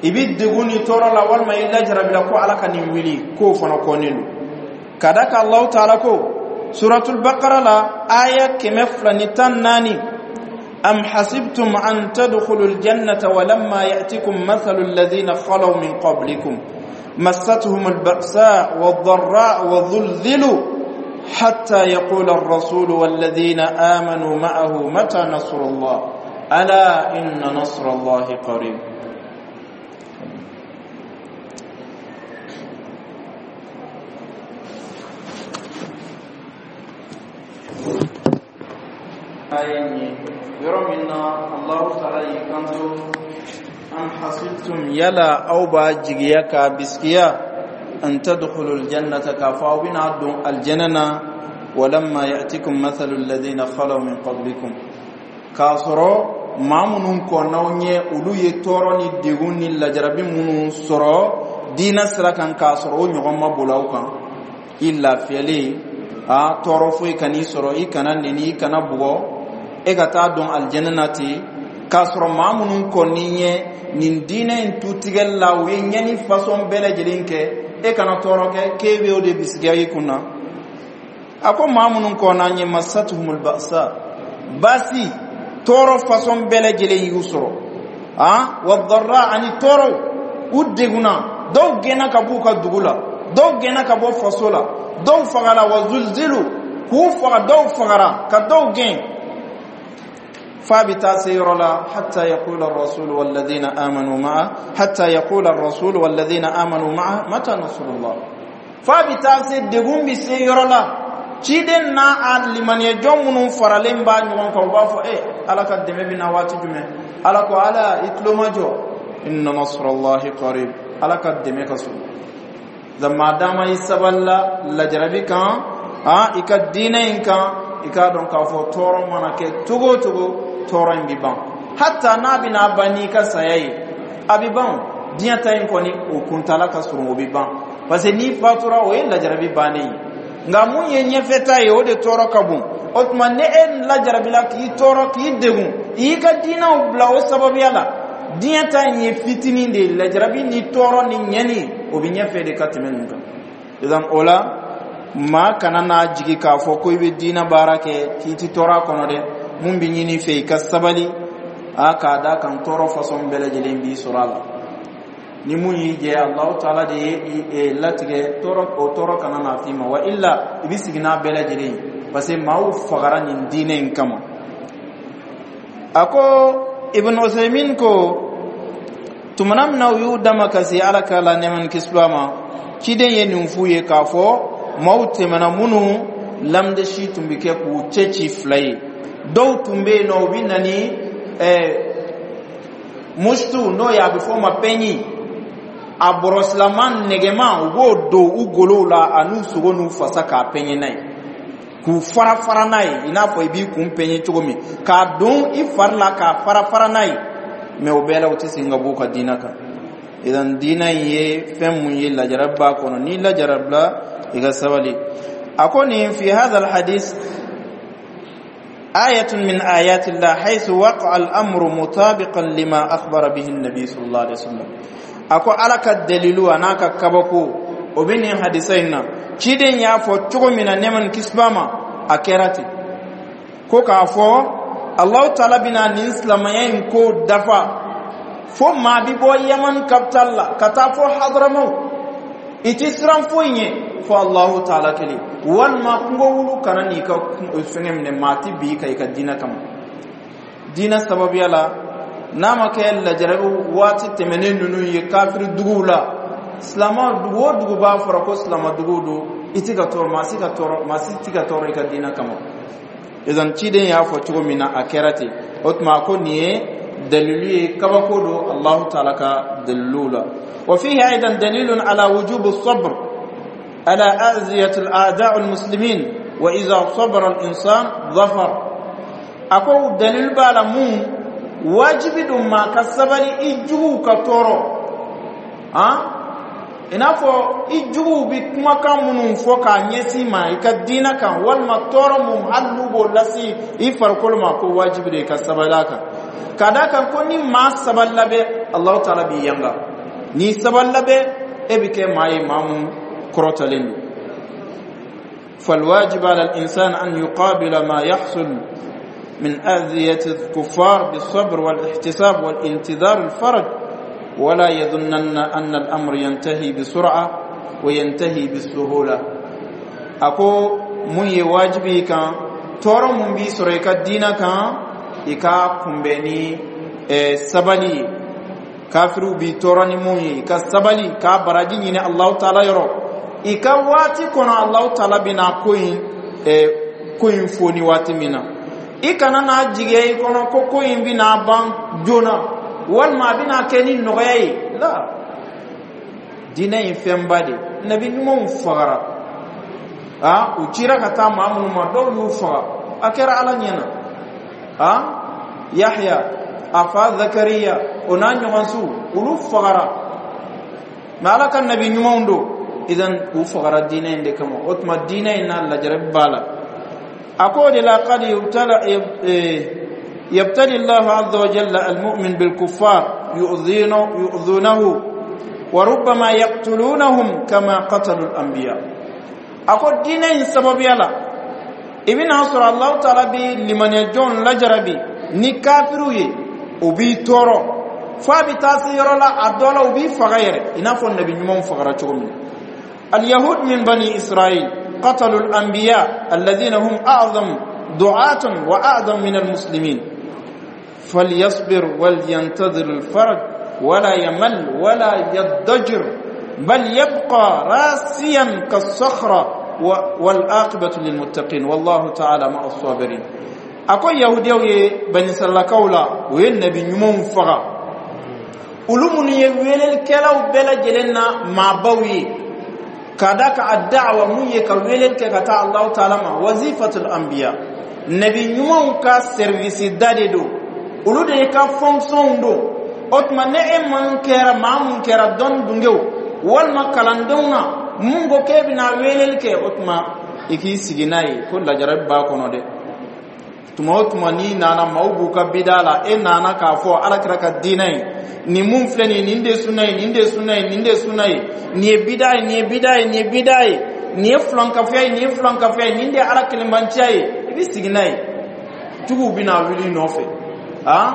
i bi degun ni tɔɔrɔ la walima i lajarabila ko ala ka nin wuli k'o fana kɔnnen don ka da ka Allahu taala ko suratul baqara la aya kɛmɛ fila ni tan naani am hasibtum an tadkhulul jannata walamma ya'tikum mathalu alladhina khalaw min qablikum massatuhum alba'sa wadh-dharra wadh-dhulzilu حتى يقول الرسول والذين آمنوا معه متى نصر الله ألا إن نصر الله قريب yɔrɔ min na allahu taala y'i kanto am hasibtum yala aw b'a jigiya k'a bisigiya an tadkhulu aljannata k'a fɔ aw bɛna don aljana na walamma ya'tikum mathalu alladhina khalaw min qablikum k'a sɔrɔ maa minnu kɔnnaw ɲɛ olu ye tɔɔrɔ ni degun ni lajarabi minnu sɔrɔ diinɛ sira kan k'a sɔrɔ o ɲɔgɔn ma boli aw kan i lafiyalen A tɔɔrɔ foyi kan'i sɔrɔ, i kana neni, i kana bugɔ, e ka taa dɔn alijɛnɛ na ten, k'a sɔrɔ maa minnu kɔni ɲɛ nin diinɛ in tutigɛli la, u ye ɲɛni fasɔn bɛɛ lajɛlen kɛ, e kana tɔɔrɔ kɛ k'e bɛ o de bisigiya i kun na. A ko maa minnu kɔnna ɲɛ, masatuhumul ba'sa, baasi tɔɔrɔ fasɔn bɛɛ lajɛlen y'u sɔrɔ, a wa ani tɔɔrɔw, u degunna, dɔw gɛnna ka b'u ka dugu la, dɔw gɛnna ka bɔ faso la, dɔw fagara, wa zulzilu, k'u faga, dɔw fagara, ka dɔw gɛn, f'a bɛ taa se yɔrɔ la, hatta yaqula ar-rasul walladhina amanu ma'a hatta yaqula ar-rasul walladhina amanu ma'a mata nasrullah. F'a bɛ taa se, degun bɛ se yɔrɔ la, ciden n'a a limaniyajɔn minnu faralen b'a ɲɔgɔn kan, u b'a fɔ: "E, Ala ka dɛmɛ bɛ na waati jumɛn?" Ala ko: "Ala, i tulo ma jɔ, inna nasrallahi qarib." Ala ka dɛmɛ ka surun. Maa dama i sabalila lajarabi kan, a i ka diinɛ in kan, i k'a dɔn k'a fɔ tɔɔrɔ mana kɛ cogo o cogo, tɔɔrɔ in bɛ ban, hatta n'a bɛna ban n'i ka saya ye, a bɛ ban. Diɲɛ ta in kɔni, o kuntala ka surun, o bɛ ban, parce que n'i fatura, o ye lajarabi bannen ye. Nka mun ye ɲɛfɛta ye, o de tɔɔrɔ ka bon. O tuma, ni e lajarabila k'i tɔɔrɔ, k'i degun, i y'i ka diinɛw bila o sababuya la, diɲɛ ta in ye fitinin de ye. Lajarabi ni tɔɔrɔ ni ɲɛni, o bɛ ɲɛfɛ de ka tɛmɛ nin kan. Idan o la, maa kana n'a jigi k'a fɔ ko i bɛ diinɛ baara kɛ k'i ti tɔɔrɔ a kɔnɔ dɛ. Mun bɛ ɲini fɛ, i ka sabali, a k'a da kan tɔɔrɔ fasɔn bɛɛ lajɛlen b'i sɔrɔ a la. Ni mun y'i jɛ, Alahu Taala de ye latigɛ tɔɔrɔ, o tɔɔrɔ kana n'a f'i ma, wa illa i bɛ sigi n'a bɛɛ lajɛlen ye, parce que maaw fagara nin diinɛ in kama. A ko Ibn Usaymin ko tumana min na u y'u dama ka se Ala ka la nɛɛma ni kisi ma, ciden ye nin f'u ye k'a fɔ maaw tɛmɛna minnu lamdesi tun bɛ kɛ k'u cɛ ci fila ye. Dɔw tun bɛ yen nɔ, u bɛ na ni ɛɛ mustu, n'o ye a bɛ fɔ o ma pɛɲi, a bɔrɔsilama nɛgɛma, u b'o don u golow la a n'u sogo n'u fasa k'a pɛɲɛ n'a ye, k'u fara fara n'a ye, i n'a fɔ i b'i kun pɛɲɛ cogo min, k'a don i fari la k'a fara fara n'a ye. Mɛ o bɛɛ la, u tɛ segin ka bɔ u ka diinɛ kan. Idan diinɛ in ye fɛn mun ye, lajarabi b'a kɔnɔ. N'i lajarabila, i ka sabali. A ko nin fi hadha alhadith آية من آيات الله، حيث وقع الأمر مطابقا لما أخبر به النبي صلى الله عليه وسلم. Ako Ala ka dalilu a n'a ka kabako, o bɛ nin hadisa in na. Ciden y'a fɔ cogo min na, nɛɛma ni kisi b'a ma, a kɛra ten. Ko k'a fɔ Alahu Taala bɛna nin silamɛya in ko dafa fo maa bi bɔ Yaman capital la ka taa fɔ Hadramaw, i ti siran foyi ɲɛ fo Alahu Taala kelen, walima kungo wulu kana n'i ka fɛngɛ minɛ. Maa ti bi ka i ka diinɛ kama, diinɛ sababuya la, n'a ma kɛ lajarabi waati tɛmɛnen ninnu ye kafiri duguw la. Silama dugu o dugu b'a fɔra ko silama duguw don, i ti ka tɔɔrɔ, maa si ka tɔɔrɔ, maa si ti ka tɔɔrɔ i ka diinɛ kama. Idan ciden y'a fɔ cogo min na, a kɛra ten. O tuma, a ko nin ye dalilu ye, kabako don Allahu Taala ka daliluw la. Wa fihi aidan dalilun ala wujubi sabr ala aziyati al-a'da' al-muslimin, wa idha sabara al-insan dhafar. A ko dalilu b'a la mun wajibi don maa ka sabali i juguw ka tɔɔrɔ, han, i n'a fɔ i juguw bi kumakan minnu fɔ k'a ɲɛsin ma i ka diinɛ kan, walima tɔɔrɔ mun hali n'u b'o lase i farikolo ma, ko wajibi de i ka sabali a kan, ka d'a kan ko ni maa sabalila bɛ, Alahu Taala b'i yanga. N'i sabalila bɛ, e bɛ kɛ maa ye, maa mun kɔrɔtalen don. فالواجب على الإنسان أن يقابل ما يحصل من أذية الكفار بالصبر والاحتساب والانتظار الفرج، ولا يظنن أن الأمر ينتهي بسرعة وينتهي بالسهولة. أكو mun ye wajibi kan, tɔɔrɔ mun b'i sɔrɔ i ka diinɛ kan, i ka kunbɛn ni sabali ye. Kafiriw b'i tɔɔrɔ ni mun ye, i ka sabali k'a baraji ɲini Alahu Taala yɔrɔ. I ka waati kɔnɔ, Alahu Taala bɛna ko in ko in fo ni waati min na, i kana n'a jigiya i kɔnɔ ko ko in bɛna ban joona, walima a bɛna kɛ ni nɔgɔya ye la. Diinɛ ye fɛnba de. Nabi ɲumanw fagara, a u cira ka taa maa minnu ma, dɔw y'u faga, a kɛra Ala ɲɛna. A Yahya, a fa Zakariya, o n'a ɲɔgɔnsiw, olu fagara, mɛ Ala ka nabi ɲumanw don. Idan u fagara diinɛ in de kama. O tuma, diinɛ in na, lajarabi b'a la. A ko o de la, qad يبتلي الله عز وجل المؤمن بالكفار يؤذونه وربما يقتلونهم كما قتلوا الأنبياء. أقول دين سبب يلا ibina sɔrɔ Allahu Taala bi limaniya jɔn lajarabi ni kafiru ye, o b'i tɔɔrɔ fo a bɛ taa se yɔrɔ la, a dɔ la u b'i faga yɛrɛ, i n'a fɔ nabi ɲumanw fagara cogo min na. اليهود من بني إسرائيل قتلوا الأنبياء الذين هم أعظم دعاة وأعظم من المسلمين. فليصبر ولينتظر الفرج ولا يمل ولا يضجر، بل يبقى راسيا كالصخرة، والعاقبة للمتقين والله تعالى مع الصابرين. Ako yahudiyaw ye bani Israilakaw la, o ye nabi ɲumanw faga, olu minnu ye welelikɛlaw bɛɛ lajɛlen na maabaw ye, ka da ka a da'awa mun ye ka weleli kɛ ka taa Allahu Taala ma, wazifatul anbiya, nabi ɲumanw ka service da de don, olu de ye ka fonction don. O tuma, ne e man kɛra maa mun kɛra dɔnni dungew walima kalandenw na, mun ko k'e bɛna weleli kɛ, o tuma i k'i sigi n'a ye ko lajarabi b'a kɔnɔ dɛ. Tuma o tuma n'i nana, maaw b'u ka bida la, e nana k'a fɔ Alakira ka diinɛ ye nin mun filɛ nin ye, nin de ye sunna ye, nin de ye sunna ye, nin de ye sunna ye, nin ye bida ye, nin ye bida ye, nin ye bida ye, nin ye filankafoya ye, nin ye filankafoya ye, nin de ye Ala kelenbanciya ye, i bɛ sigi n'a ye, juguw bɛna wuli i nɔfɛ. A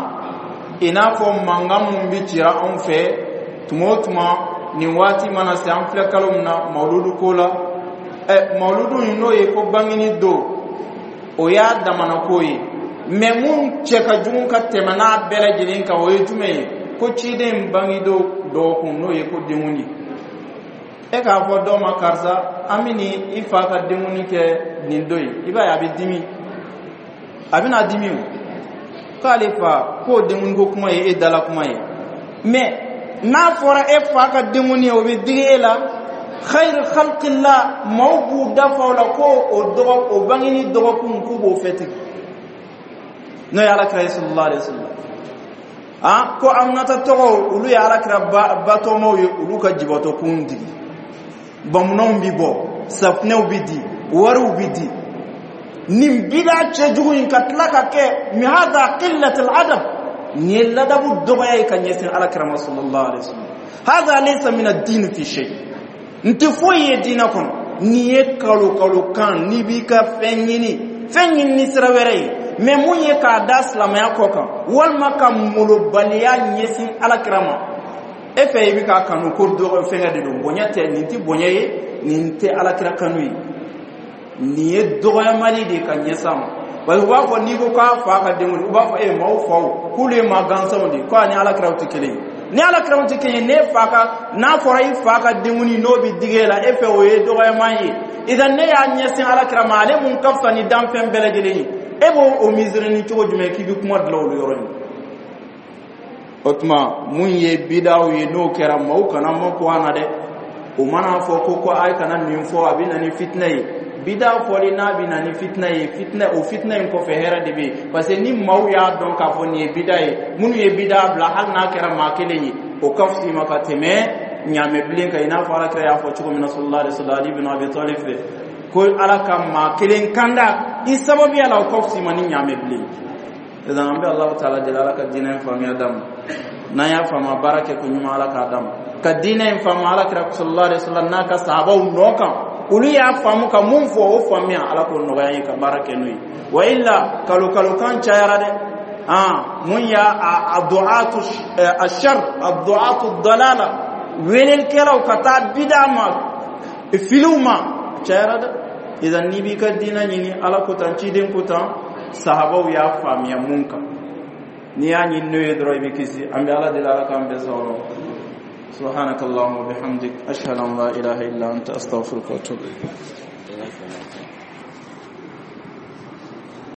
i n'a fɔ mankan mun bɛ cira anw fɛ tuma o tuma nin waati mana se, an filɛ kalo min na, mawuludu ko la. Ɛ, mawuludu in, n'o ye ko bangeni don, o y'a damana ko ye, mɛ mun cɛ ka jugu ka tɛmɛ n'a bɛɛ lajɛlen kan, o ye jumɛn ye? Ko ciden bangedon dɔgɔkun, n'o ye ko denkundi. E k'a fɔ dɔ ma: "Karisa, an bɛ ni i fa ka denkundi kɛ nin don ye." I b'a ye a bɛ dimi, a bɛna dimi o k'ale fa k'o denkundi ko kuma ye e dala kuma ye. Mɛ n'a fɔra e fa ka denkundi ye, o bɛ digi e la. Khayr khalqillah, maaw b'u dafa o la ko o dɔgɔ o bangeni dɔgɔkun k'u b'o fɛtigi, n'o ye Alakira ye sallallahu alaihi wasallam. Ah, ko Aminata tɔgɔ, olu ye Alakira batɔmaw ye, olu ka jibatɔ kun digi, bamunanw bi bɔ, safunɛw bi di, wariw bi di. Nin bida cɛjugu in ka tila ka kɛ min hada qillatul adab, nin ye ladabu dɔgɔya ye ka ɲɛsin Alakira ma sallallahu alaihi wasallam. Hada laysa min ad-din fi shay, n tɛ foyi ye diinɛ kɔnɔ. N'i ye kalo kalo kan, n'i b'i ka fɛn ɲini, fɛn ɲini ni sira wɛrɛ ye, mɛ mun ye k'a da silamɛya kɔ kan walima ka molobaliya ɲɛsin Alakira ma, e fɛ i bɛ k'a kanu ko dɔgɔ fɛngɛ de don, bonya tɛ. Nin tɛ bonya ye, nin tɛ Alakira kanu ye, nin ye dɔgɔyamali de ye ka ɲɛsin a ma. Parce que u b'a fɔ, n'i ko k'a fa ka denkundi, u b'a fɔ e maaw faw k'olu ye maa gansanw de ye, ko a ni Alakiraw tɛ kelen ye. Ni Alakiraw tɛ kelen ye, ne fa ka, n'a fɔra i fa ka denkundi, n'o bɛ digi e la, e fɛ o ye dɔgɔyama ye. Idan ne y'a ɲɛsin Alakira ma, ale mun ka fisa ni danfɛn bɛɛ lajɛlen ye, e b'o o misiri ni cogo jumɛn k'i bɛ kuma dilan olu yɔrɔ in? O tuma, mun ye bidaw ye, n'o kɛra, maaw kana mako an na dɛ. O mana fɔ ko ko a ye kana nin fɔ, a bɛ na ni fitinɛ ye. Bida fɔli n'a bɛ na ni fitinɛ ye, fitinɛ o fitinɛ in kɔfɛ, hɛrɛ de bɛ yen, parce que ni maaw y'a dɔn k'a fɔ nin ye bida ye, minnu ye bida bila, hali n'a kɛra maa kelen ye, o ka fisa i ma ka tɛmɛ ɲaamɛ bilen kan. I n'a fɔ Alakira y'a fɔ cogo min na sallallahu alaihi wasallam, Ali bin Abi Talib fɛ, ko Ala ka maa kelen kanda i sababuya la, o ka fisa i ma ni ɲaamɛ bilen. Idan an bɛ Allahu Taala deli, Ala ka diinɛ in faamuya d'an ma. N'an y'a faamu, baara kɛ ko ɲuman, Ala k'a d'an ma. Ka diinɛ in faamu Alakira sallallahu alaihi wasallam n'a ka sahabaw nɔ kan, olu y'a faamu ka mun fɔ, o faamuya, Ala k'o nɔgɔya an ye ka baara kɛ n'o ye. Wa illa, kalo kalo kan cayara dɛ. Ah, mun y'a a du'atu ashar, a du'atu dalala, welelikɛlaw ka taa bida ma, filiw ma, cayara dɛ. Idan n'i b'i ka diinɛ ɲini, Ala ko tan, ciden ko tan, sahabaw y'a faamuya mun kan, n'i y'a ɲini n'o ye dɔrɔn, i bɛ kisi. An bɛ Ala deli, Ala k'an bɛɛ sɔrɔ. سبحانك اللهم وبحمدك، أشهد أن لا إله إلا أنت، أستغفرك وأتوب إليك.